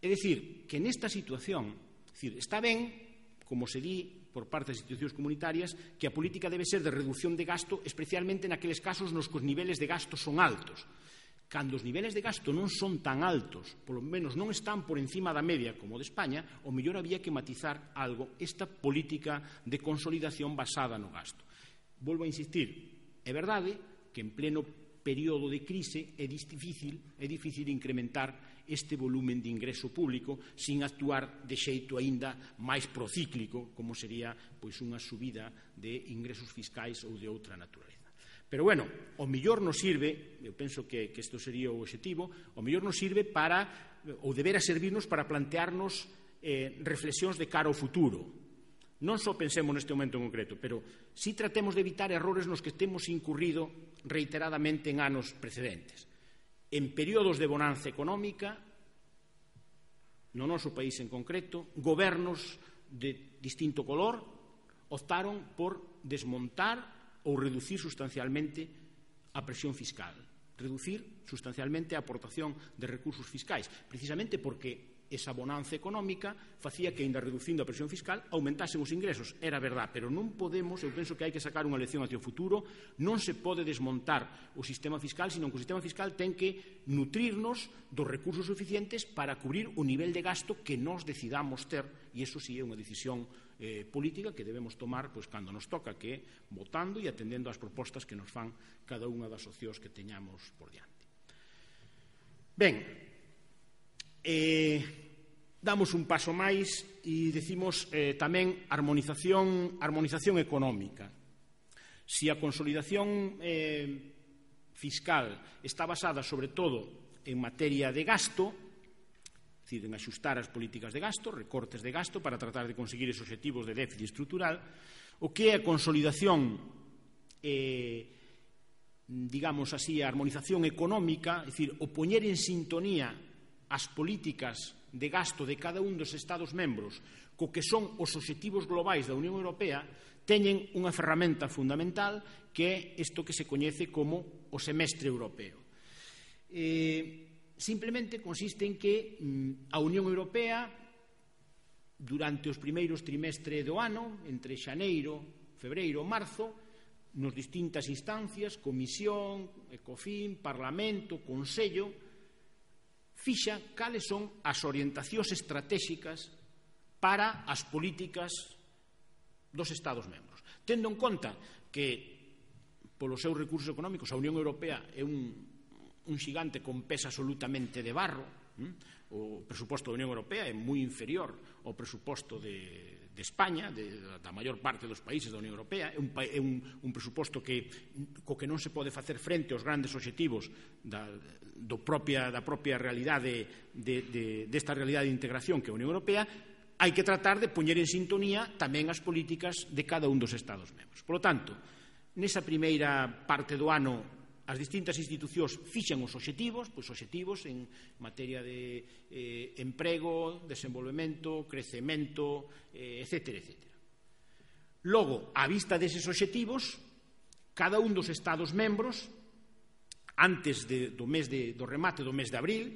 É dicir, que nesta situación, está ben, como se di por parte das institucións comunitarias, que a política debe ser de reducción de gasto, especialmente naqueles casos nos que os niveles de gasto son altos. Cando os niveles de gasto non son tan altos, polo menos non están por encima da media como de España, o mellor había que matizar algo esta política de consolidación basada no gasto. Volvo a insistir, é verdade que en pleno período de crise é difícil incrementar este volumen de ingreso público sin actuar de xeito aínda máis procíclico, como sería pois unha subida de ingresos fiscais ou de outra naturaleza. Pero, bueno, o mellor nos sirve, eu penso que isto sería o obxectivo, o mellor nos sirve para, ou debera servirnos para plantearnos reflexións de cara ao futuro. Non só pensemos neste momento en concreto, pero si tratemos de evitar errores nos que temos incurrido reiteradamente en anos precedentes. En períodos de bonanza económica, no noso país en concreto, gobernos de distinto color optaron por desmontar ou reducir sustancialmente a presión fiscal, reducir sustancialmente a aportación de recursos fiscais, precisamente porque esa bonanza económica facía que, ainda reducindo a presión fiscal, aumentasen os ingresos. Era verdad, pero non podemos, eu penso que hai que sacar unha lección hacia o futuro, non se pode desmontar o sistema fiscal, senón que o sistema fiscal ten que nutrirnos dos recursos suficientes para cubrir o nivel de gasto que nós decidamos ter, e iso sí é unha decisión política que debemos tomar cando nos toca, que é votando e atendendo ás propostas que nos fan cada unha das opcións que teñamos por diante. Ben, damos un paso máis e decimos tamén armonización económica. Si a consolidación fiscal está basada sobre todo en materia de gasto, é dicir, en axustar as políticas de gasto, recortes de gasto para tratar de conseguir esos objetivos de déficit estrutural, o que é a consolidación, digamos así, a armonización económica, é dicir, o poñer en sintonía as políticas de gasto de cada un dos Estados membros co que son os obxectivos globais da Unión Europea, teñen unha ferramenta fundamental que é isto que se coñece como o semestre europeo. Simplemente consiste en que a Unión Europea, durante os primeiros trimestres do ano, entre xaneiro, febreiro, marzo, nas distintas instancias, Comisión, Ecofin, Parlamento, Consello, fixa cales son as orientacións estratégicas para as políticas dos Estados membros. Tendo en conta que, polos seus recursos económicos, a Unión Europea é un xigante con pés absolutamente de barro, o presuposto da Unión Europea é moi inferior ao presuposto de España, da maior parte dos países da Unión Europea, é un presuposto co que non se pode facer frente aos grandes obxectivos da propia realidade desta realidade de integración que é a Unión Europea. Hai que tratar de poñer en sintonía tamén as políticas de cada un dos Estados membros. Por lo tanto, nesa primeira parte do ano, as distintas institucións fixan os obxectivos, obxectivos en materia de emprego, desenvolvemento, crecemento, etcétera, etcétera. Logo, á vista deses obxectivos, cada un dos Estados membros, antes do remate do mes de abril,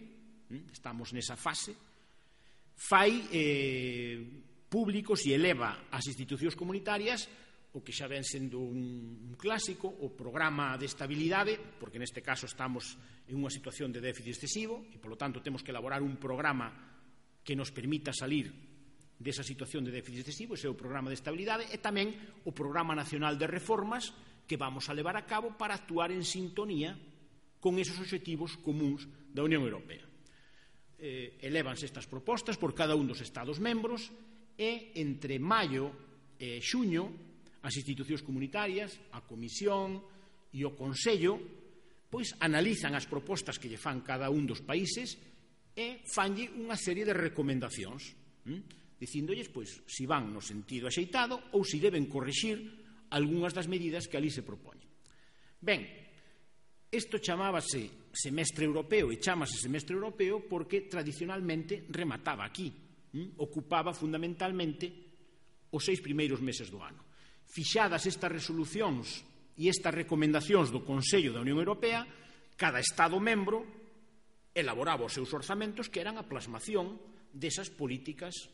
estamos nesa fase, fai públicos e eleva ás institucións comunitarias o que xa ven sendo un clásico, o programa de estabilidade, porque neste caso estamos en unha situación de déficit excesivo e, polo tanto, temos que elaborar un programa que nos permita salir desa situación de déficit excesivo, ese é o programa de estabilidade, e tamén o Programa Nacional de Reformas que vamos a levar a cabo para actuar en sintonía con esos obxectivos comuns da Unión Europea. Elévanse estas propostas por cada un dos Estados membros e entre maio e xuño as institucións comunitarias, a Comisión e o Consello, pois analizan as propostas que lle fan cada un dos países e fanlle unha serie de recomendacións, dicíndolles, pois, si van no sentido axeitado ou si deben corrixir algunhas das medidas que ali se propoñen. Ben, isto chamábase semestre europeo e chámase semestre europeo porque tradicionalmente remataba aquí, ocupaba fundamentalmente os 6 primeiros meses do ano. Fixadas estas resolucións e estas recomendacións do Consello da Unión Europea, cada Estado membro elaboraba os seus orzamentos que eran a plasmación desas políticas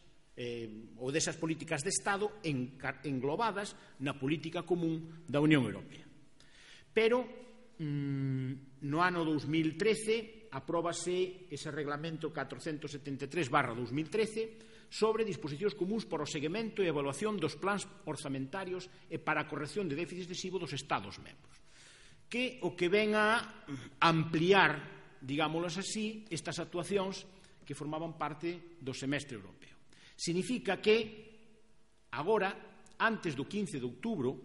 ou desas políticas de Estado englobadas na política común da Unión Europea. Pero no ano 2013 apróbase ese reglamento 473/2013 sobre disposicións comuns para o seguimento e evaluación dos plans orzamentarios e para a corrección de déficit excesivo dos Estados membros, que o que ven a ampliar, digámoslo así, estas actuacións que formaban parte do semestre europeo. Significa que agora, antes do 15 de outubro,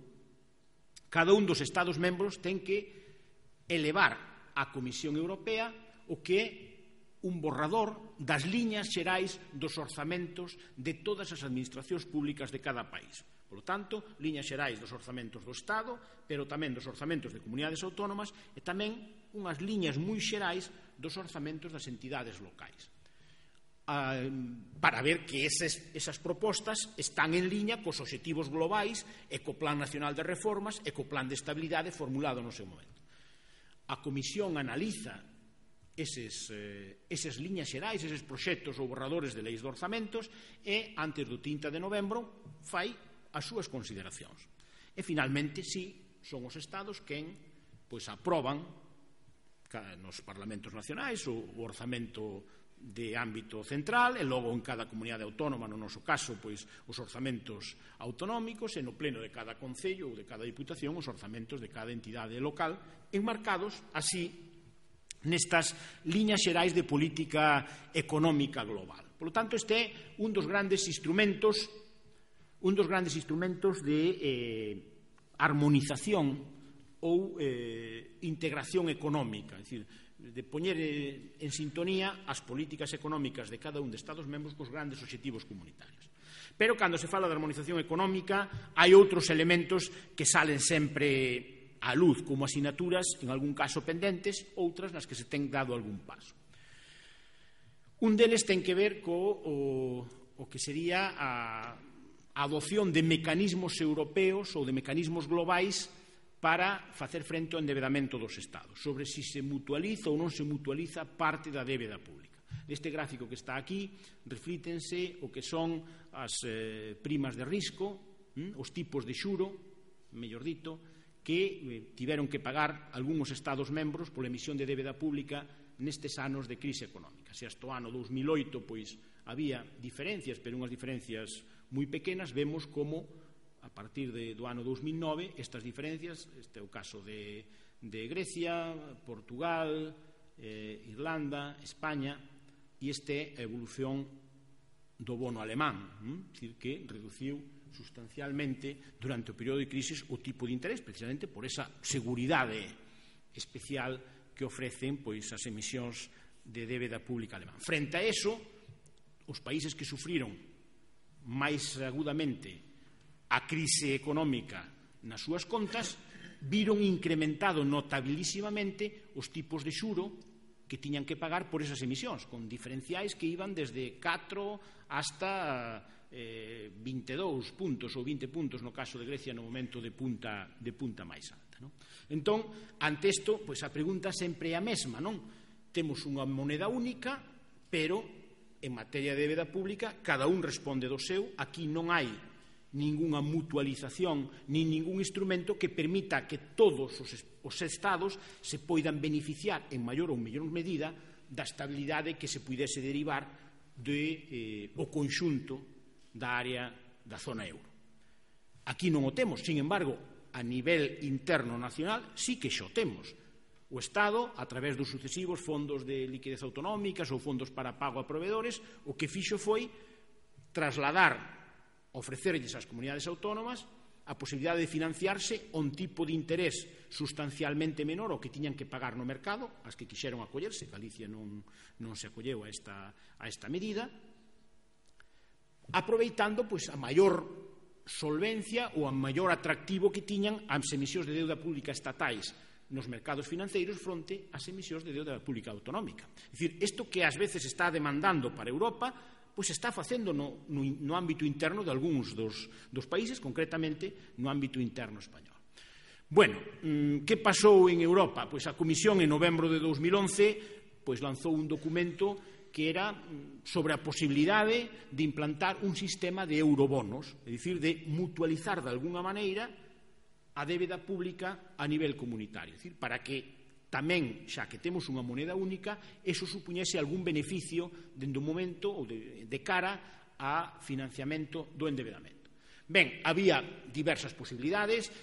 cada un dos Estados membros ten que elevar á Comisión Europea o que é un borrador das liñas xerais dos orzamentos de todas as administracións públicas de cada país. Por lo tanto, liñas xerais dos orzamentos do Estado, pero tamén dos orzamentos de comunidades autónomas e tamén unhas liñas moi xerais dos orzamentos das entidades locais. Para ver que esas propostas están en liña cos obxectivos globais e co Plan Nacional de Reformas e co Plan de Estabilidade formulado no seu momento. A Comisión analiza esas liñas xerais, eses proxectos ou borradores de leis de orzamentos, e antes do 30 de novembro fai as súas consideracións. E finalmente, sí, son os Estados quen aproban nos parlamentos nacionais o orzamento de ámbito central, e logo en cada comunidade autónoma, no noso caso, os orzamentos autonómicos, e no pleno de cada concello ou de cada diputación os orzamentos de cada entidade local, enmarcados así nestas liñas xerais de política económica global. Por lo tanto, este é un dos grandes instrumentos de armonización ou integración económica, é dicir, de poñer en sintonía as políticas económicas de cada un de Estados membros cos grandes obxectivos comunitarios. Pero, cando se fala de armonización económica, hai outros elementos que salen sempre á luz como asignaturas, en algún caso pendentes, outras nas que se ten dado algún paso. Un deles ten que ver co que sería a adopción de mecanismos europeos ou de mecanismos globais para facer frente ao endebedamento dos Estados, sobre se mutualiza ou non se mutualiza parte da débeda pública. Neste gráfico que está aquí reflítense o que son as primas de risco, os tipos de xuro, mellor dito, que tiveron que pagar algúns Estados membros pola emisión de débeda pública nestes anos de crise económica. Se hasta o ano 2008 había diferencias, pero unhas diferencias moi pequenas, vemos como a partir do ano 2009 estas diferencias, este é o caso de Grecia, Portugal, Irlanda, España, e este é a evolución do bono alemán, é dicir, que reduciu sustancialmente durante o período de crisis o tipo de interés, precisamente por esa seguridade especial que ofrecen as emisións de débeda pública alemán. Frente a eso, os países que sufriron máis agudamente a crise económica nas súas contas viron incrementado notabilísimamente os tipos de xuro que tiñan que pagar por esas emisións, con diferenciais que iban desde 4 hasta 22 puntos ou 20 puntos no caso de Grecia no momento de punta máis alta. Entón, ante isto, a pregunta sempre é a mesma, non? Temos unha moneda única, pero en materia de débeda pública cada un responde do seu, aquí non hai ningunha mutualización nin ningún instrumento que permita que todos os Estados se poidan beneficiar en maior ou mellor medida da estabilidade que se puidese derivar do conxunto da área da zona euro. Aquí non o temos, sin embargo, a nivel interno nacional sí que xo temos. O Estado, a través dos sucesivos fondos de liquidez autonómicas ou fondos para pago a proveedores, o que fixo foi trasladar, ofrecerlles ás comunidades autónomas a posibilidade de financiarse a un tipo de interés sustancialmente menor ao que tiñan que pagar no mercado, as que quixeron acollerse. Galicia non se acolleu a esta medida, aproveitando a maior solvencia ou a maior atractivo que tiñan as emisións de deuda pública estatais nos mercados financeiros fronte ás emisións de deuda pública autonómica. É dicir, isto que ás veces está demandando para Europa, está facendo no ámbito interno de algúns dos países, concretamente no ámbito interno español. Bueno, que pasou en Europa? A Comisión en novembro de 2011 lanzou un documento que era sobre a posibilidade de implantar un sistema de eurobonos, é dicir, de mutualizar de alguna maneira a débeda pública a nivel comunitario, é dicir, para que tamén, xa que temos unha moneda única, eso supuñese algún beneficio dende un momento ou de cara a financiamento do endebedamento. Ben, había diversas posibilidades,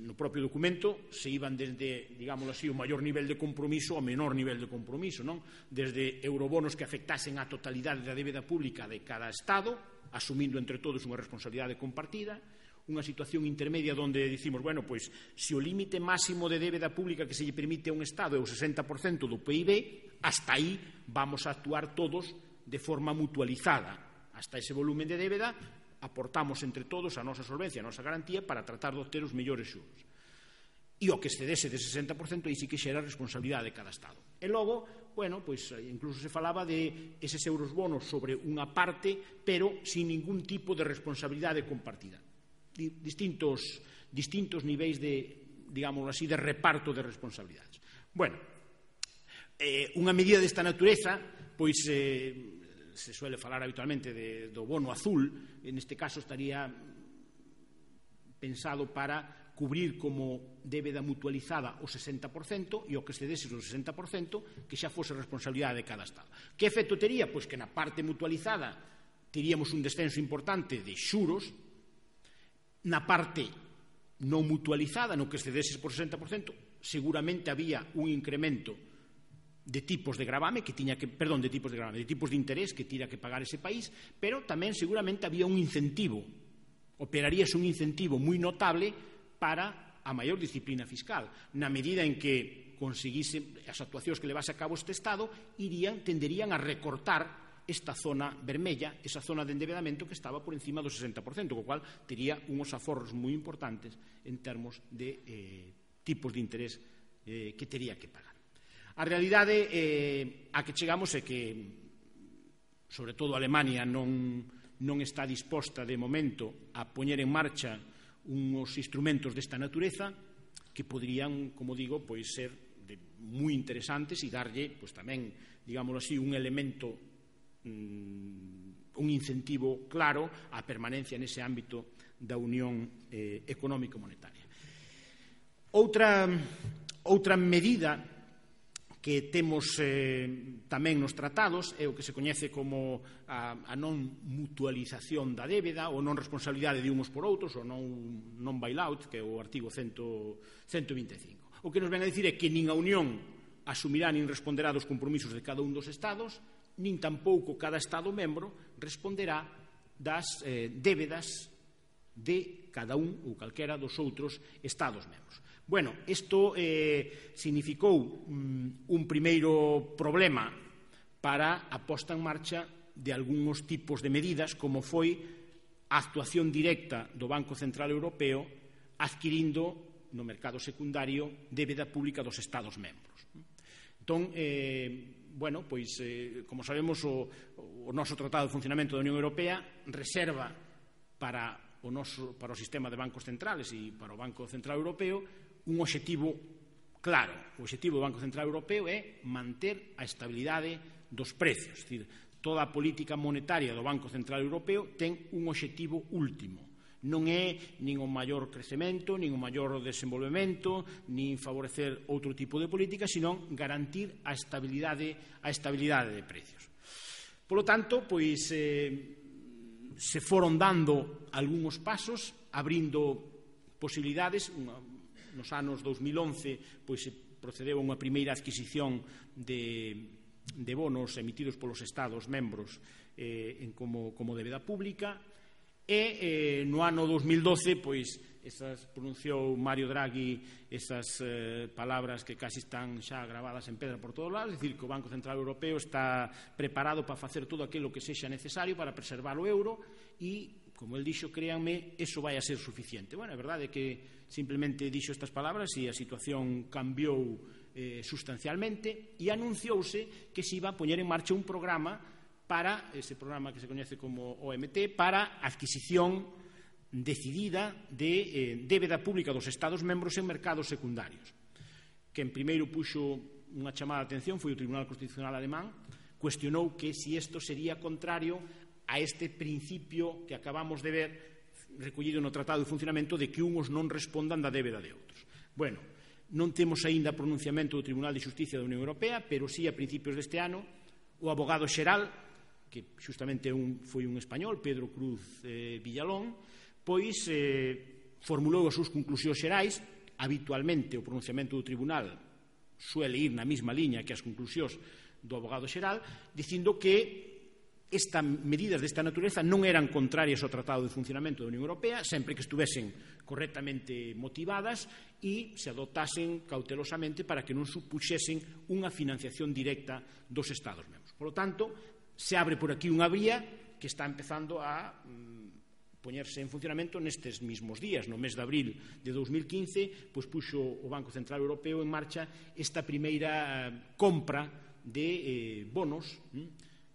no propio documento se iban desde, digámoslo así, o maior nivel de compromiso ao menor nivel de compromiso, non? Desde eurobonos que afectasen a totalidade da débeda pública de cada Estado, asumindo entre todos unha responsabilidade compartida, unha situación intermedia onde dicimos, bueno, se o límite máximo de débeda pública que se lle permite a un Estado é o 60% do PIB, hasta aí vamos a actuar todos de forma mutualizada. Hasta ese volumen de débeda aportamos entre todos a nosa solvencia, a nosa garantía para tratar de obter os mellores xuros. E o que excedese de 60% aí sí que xera a responsabilidade de cada Estado. E logo, bueno, incluso se falaba de eses euros bonos sobre unha parte, pero sin ningún tipo de responsabilidade compartida. Distintos niveis de, digámoslo así, de reparto de responsabilidades. Bueno, Unha medida desta natureza, pois se suele falar habitualmente do bono azul, neste caso estaría pensado para cubrir como débeda mutualizada o 60% e o que excedese o 60% que xa fose responsabilidade de cada Estado. Que efecto tería? Pois que na parte mutualizada teríamos un descenso importante de xuros, na parte non mutualizada, no que excedese por 60%, seguramente había un incremento de tipos de gravame de tipos de interés que tira que pagar ese país, pero tamén seguramente había un incentivo, operaríase un incentivo moi notable para a maior disciplina fiscal, na medida en que conseguise as actuacións que levase a cabo este Estado tenderían a recortar esta zona vermella, esa zona de endebedamento que estaba por encima do 60%, co cual tería uns aforros moi importantes en termos de tipos de interés que tería que pagar. A realidade a que chegamos é que, sobre todo, Alemania non está disposta de momento a poñer en marcha uns instrumentos desta natureza que poderían, como digo, pois ser moi interesantes e darlle, pois tamén, digámoslo así, un elemento, un incentivo claro á permanencia nese ámbito da Unión Económico-Monetaria. Outra medida que temos tamén nos tratados é o que se coñece como a non mutualización da débeda ou non responsabilidade de uns por outros, ou non bailout, que é o artigo 125. O que nos ven a dicir é que nin a Unión asumirá nin responderá dos compromisos de cada un dos Estados, nin tampouco cada Estado membro responderá das débedas de cada un ou calquera dos outros Estados membros. Bueno, isto significou un primeiro problema para a posta en marcha de algúns tipos de medidas, como foi a actuación directa do Banco Central Europeo adquirindo no mercado secundario débeda pública dos Estados membros. Entón, bueno, pois, como sabemos, o noso Tratado de Funcionamento da Unión Europea reserva para o sistema de bancos centrales e para o Banco Central Europeo un obxectivo claro. O obxectivo do Banco Central Europeo é manter a estabilidade dos precios. É dicir, toda a política monetaria do Banco Central Europeo ten un obxectivo último. Non é nin o maior crecemento, nin o maior desenvolvemento, nin favorecer outro tipo de política, sino garantir a estabilidade de precios. Por lo tanto, pois, se foron dando algúns pasos, abrindo posibilidades. Nos anos 2011 pois, se procedeu a unha primeira adquisición de bonos emitidos polos Estados membros como débeda pública e no ano 2012 pois, pronunciou Mario Draghi esas palabras que casi están xa gravadas en pedra por todos lados, é dicir, que o Banco Central Europeo está preparado para facer todo aquilo que sexa necesario para preservar o euro e, como el dixo, créanme, eso vai a ser suficiente. Bueno, a verdade é que simplemente dixo estas palabras e a situación cambiou sustancialmente e anunciouse que se iba a poñer en marcha un programa para, ese programa que se coñece como OMT, para adquisición decidida de débeda pública dos Estados membros en mercados secundarios. Quen primeiro puxo unha chamada de atención foi o Tribunal Constitucional alemán, cuestionou que se isto sería contrario a este principio que acabamos de ver recollido no Tratado de Funcionamento de que uns non respondan da débeda de outros. Bueno, non temos aínda pronunciamento do Tribunal de Xusticia da Unión Europea, pero sí a principios deste ano o abogado xeral, que xustamente foi un español, Pedro Cruz Villalón, pois formulou as súas conclusións xerais. Habitualmente o pronunciamento do Tribunal suele ir na mesma liña que as conclusións do abogado xeral, dicindo que estas medidas desta natureza non eran contrarias ao Tratado de Funcionamento da Unión Europea, sempre que estuvesen correctamente motivadas e se adoptasen cautelosamente para que non supuxesen unha financiación directa dos Estados membros. Por lo tanto, se abre por aquí unha vía que está empezando a poñerse en funcionamento nestes mesmos días. No mes de abril de 2015, pois puxo o Banco Central Europeo en marcha esta primeira compra de bonos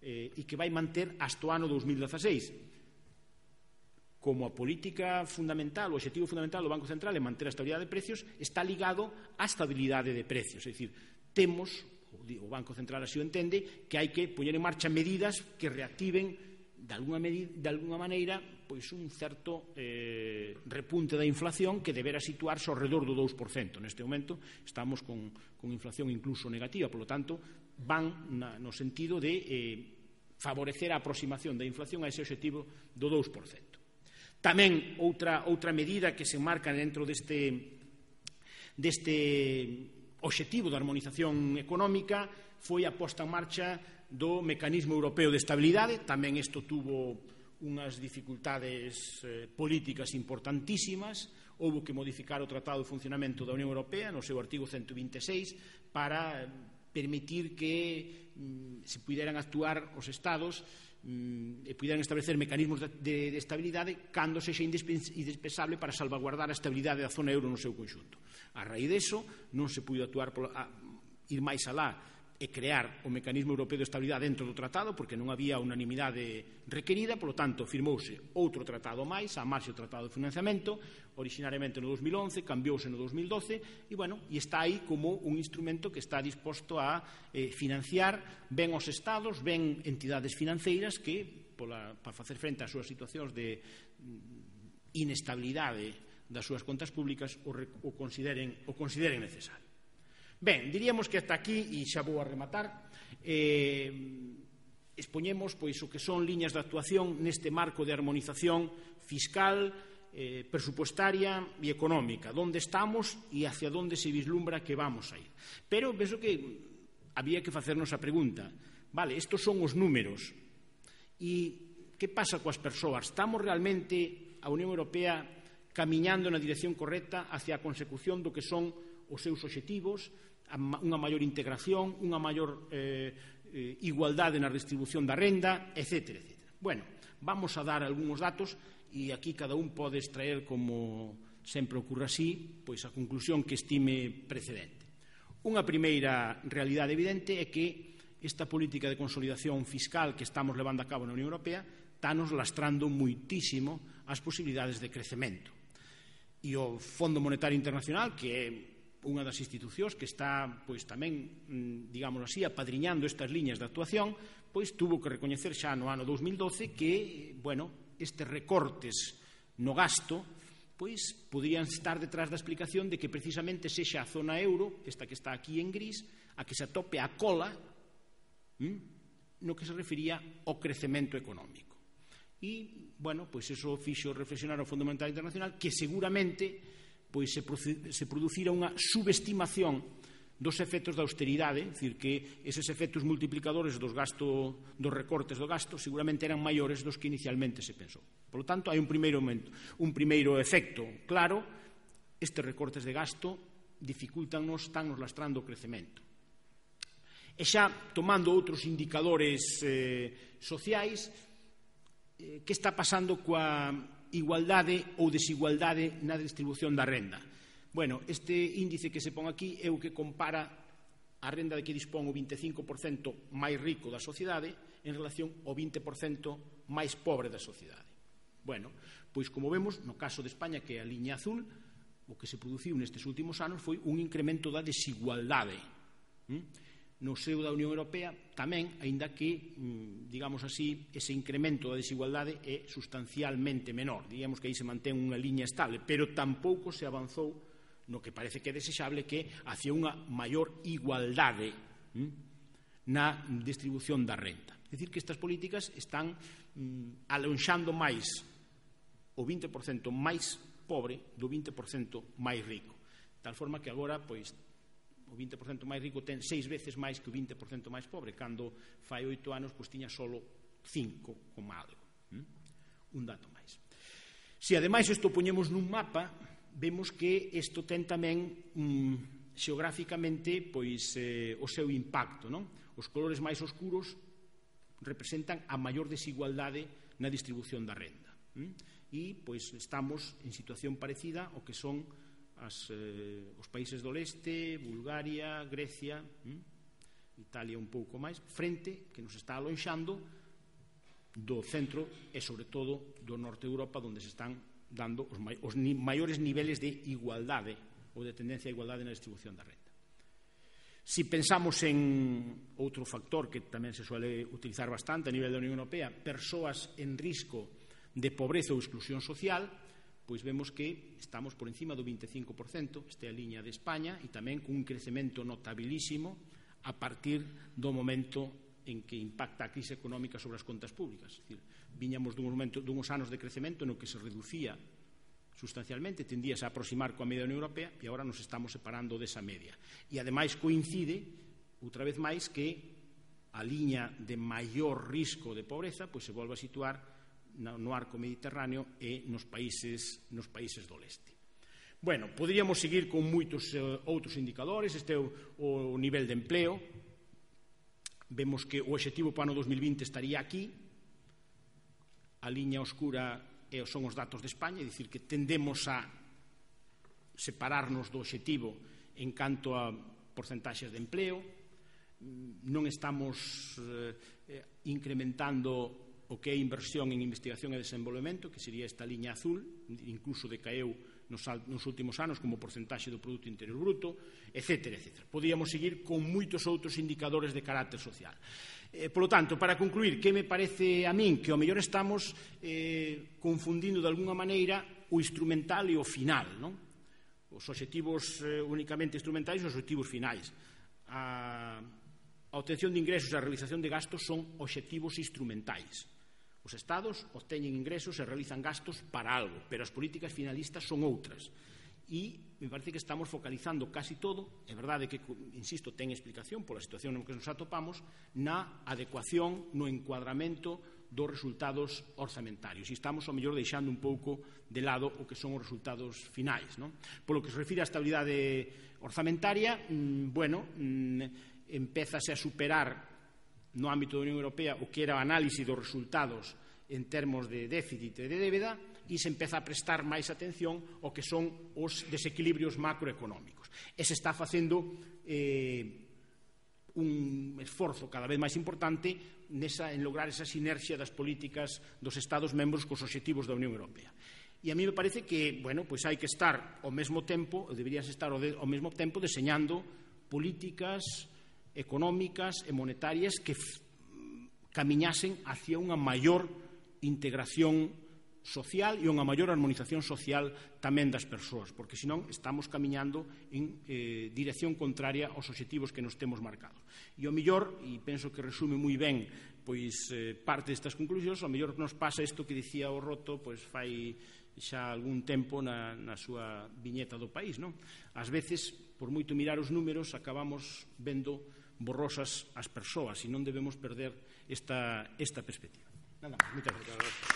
e que vai manter hasta o ano 2016. Como a política fundamental, o objetivo fundamental do Banco Central é manter a estabilidade de precios, está ligado á estabilidade de precios. É dicir, temos o Banco Central así o entende, que hai que poñer en marcha medidas que reactiven de alguna maneira pois un certo repunte da inflación que debera situarse ao redor do 2%. Neste momento estamos con inflación incluso negativa, polo tanto van no sentido de favorecer a aproximación da inflación a ese objetivo do 2%. Tamén outra medida que se marca dentro deste objetivo de armonización económica foi a posta en marcha do Mecanismo Europeo de Estabilidade. Tamén isto tuvo unhas dificultades políticas importantísimas. Houbo que modificar o Tratado de Funcionamento da Unión Europea no seu artigo 126 para permitir que se puderan actuar os Estados e puderan establecer mecanismos de estabilidade cando sexa indispensable para salvaguardar a estabilidade da zona euro no seu conxunto. A raíz deso non se puido ir máis alá e crear o Mecanismo Europeo de Estabilidade dentro do tratado porque non había unanimidade requerida, polo tanto firmouse outro tratado máis, a marxe do Tratado de Financiamento, originariamente no 2011, cambiouse no 2012 e está aí como un instrumento que está disposto a financiar ben os Estados, ben entidades financeiras que para facer frente ás súas situacións de inestabilidade das súas contas públicas o consideren necesario. Ben, diríamos que hasta aquí, e xa vou a rematar, expoñemos o que son liñas de actuación neste marco de armonización fiscal, presupuestaria e económica, onde estamos e hacia onde se vislumbra que vamos a ir. Pero penso que había que facernos a pregunta, vale, estos son os números, e que pasa coas persoas? Estamos realmente, a Unión Europea, camiñando na dirección correcta hacia a consecución do que son os seus obxectivos, unha maior integración, unha maior igualdade na distribución da renda, etc. Bueno, vamos a dar algúns datos e aquí cada un pode extraer, como sempre ocorre así, pois a conclusión que estime precedente. Unha primeira realidade evidente é que esta política de consolidación fiscal que estamos levando a cabo na Unión Europea está-nos lastrando moitísimo as posibilidades de crecemento. E o Fondo Monetario Internacional, que é unha das institucións que está tamén, digamos así, apadriñando estas liñas de actuación, tuvo que recoñecer xa no ano 2012 que, estes recortes no gasto podrían estar detrás da explicación de que precisamente sexa a zona euro, esta que está aquí en gris, a que se atope a cola no que se refería ao crecemento económico. E, eso fixo reflexionar ao Fondo Monetario Internacional que seguramente se producira unha subestimación dos efectos da austeridade, é dicir, que eses efectos multiplicadores dos recortes do gasto seguramente eran maiores dos que inicialmente se pensou. Por lo tanto, hai un primeiro efecto claro, estes recortes de gasto dificultannos, estánnos lastrando o crecemento. E xa tomando outros indicadores sociais, que está pasando coa igualdade ou desigualdade na distribución da renda? Este índice que se pon aquí é o que compara a renda de que dispón o 25% máis rico da sociedade en relación ao 20% máis pobre da sociedade. Como vemos, no caso de España, que é a liña azul, o que se produciu nestes últimos anos foi un incremento da desigualdade. No seo da Unión Europea tamén, aínda que, digamos así, ese incremento da desigualdade é sustancialmente menor. Diríamos que aí se mantén unha liña estable, pero tampouco se avanzou no que parece que é desexable, que hacia unha maior igualdade na distribución da renta. É dicir, que estas políticas están alonxando máis o 20% máis pobre do 20% máis rico. De tal forma que agora, o 20% máis rico ten 6 veces máis que o 20% máis pobre, cando fai 8 anos tiña solo 5 como algo. Un dato máis. Se ademais isto poñemos nun mapa, vemos que isto ten tamén xeográficamente o seu impacto. Os colores máis oscuros representan a maior desigualdade na distribución da renda. E estamos en situación parecida ao que son os países do leste, Bulgaria, Grecia, Italia un pouco máis, frente que nos está alonxando do centro e, sobre todo, do norte de Europa, onde se están dando os maiores niveles de igualdade ou de tendencia a igualdade na distribución da renda. Si pensamos en outro factor que tamén se suele utilizar bastante a nivel da Unión Europea, persoas en risco de pobreza ou exclusión social, pois vemos que estamos por encima do 25%, esta é a liña de España, e tamén con un crecemento notabilísimo a partir do momento en que impacta a crise económica sobre as contas públicas. É dicir, viñamos duns anos de crecemento no que se reducía sustancialmente, tendíase a aproximar coa media da Unión Europea e agora nos estamos separando desa media. E ademais coincide, outra vez máis, que a liña de maior risco de pobreza pois se volve a situar no arco mediterráneo e nos países do leste. Bueno, poderíamos seguir con moitos outros indicadores. Este é o nivel de empleo. Vemos que o obxectivo para o ano 2020 estaría aquí. A liña oscura son os datos de España, é dicir, que tendemos a separarnos do obxectivo en canto a porcentaxes de empleo. Non estamos incrementando o que é inversión en investigación e desenvolvemento, que sería esta liña azul, incluso decaeu nos últimos anos como porcentaxe do Produto Interior Bruto, etc. Podíamos seguir con moitos outros indicadores de carácter social. Por lo tanto, para concluir, que me parece a min que ao mellor estamos confundindo de alguna maneira o instrumental e o final, non? Os obxectivos únicamente instrumentais e os obxectivos finais. A obtención de ingresos e a realización de gastos son obxectivos instrumentais. Os Estados obteñen ingresos e realizan gastos para algo, pero as políticas finalistas son outras. E me parece que estamos focalizando casi todo, é verdade que, insisto, ten explicación pola situación en que nos atopamos, na adecuación, no encuadramento dos resultados orzamentarios. E estamos, ao mellor, deixando un pouco de lado o que son os resultados finais, non? Polo que se refire á estabilidade orzamentaria, empézase a superar no ámbito da Unión Europea o que era a análise dos resultados en termos de déficit e de débeda, e se empeza a prestar máis atención ao que son os desequilibrios macroeconómicos. E se está facendo un esforzo cada vez máis importante en lograr esa sinerxia das políticas dos Estados membros cos obxectivos da Unión Europea. E a mí me parece que, pois hai que estar ao mesmo tempo, deberías estar ao mesmo tempo deseñando políticas económicas e monetarias que camiñasen hacia unha maior integración social e unha maior armonización social tamén das persoas, porque senón estamos camiñando en dirección contraria aos obxectivos que nos temos marcados. E ao mellor, e penso que resume moi ben pois parte destas conclusións, ao mellor nos pasa isto que dicía o Roto pois fai xa algún tempo na súa viñeta do país, non? Ás veces, por moito mirar os números, acabamos vendo borrosas as persoas e non debemos perder esta perspectiva. Nada máis, moitas gracias.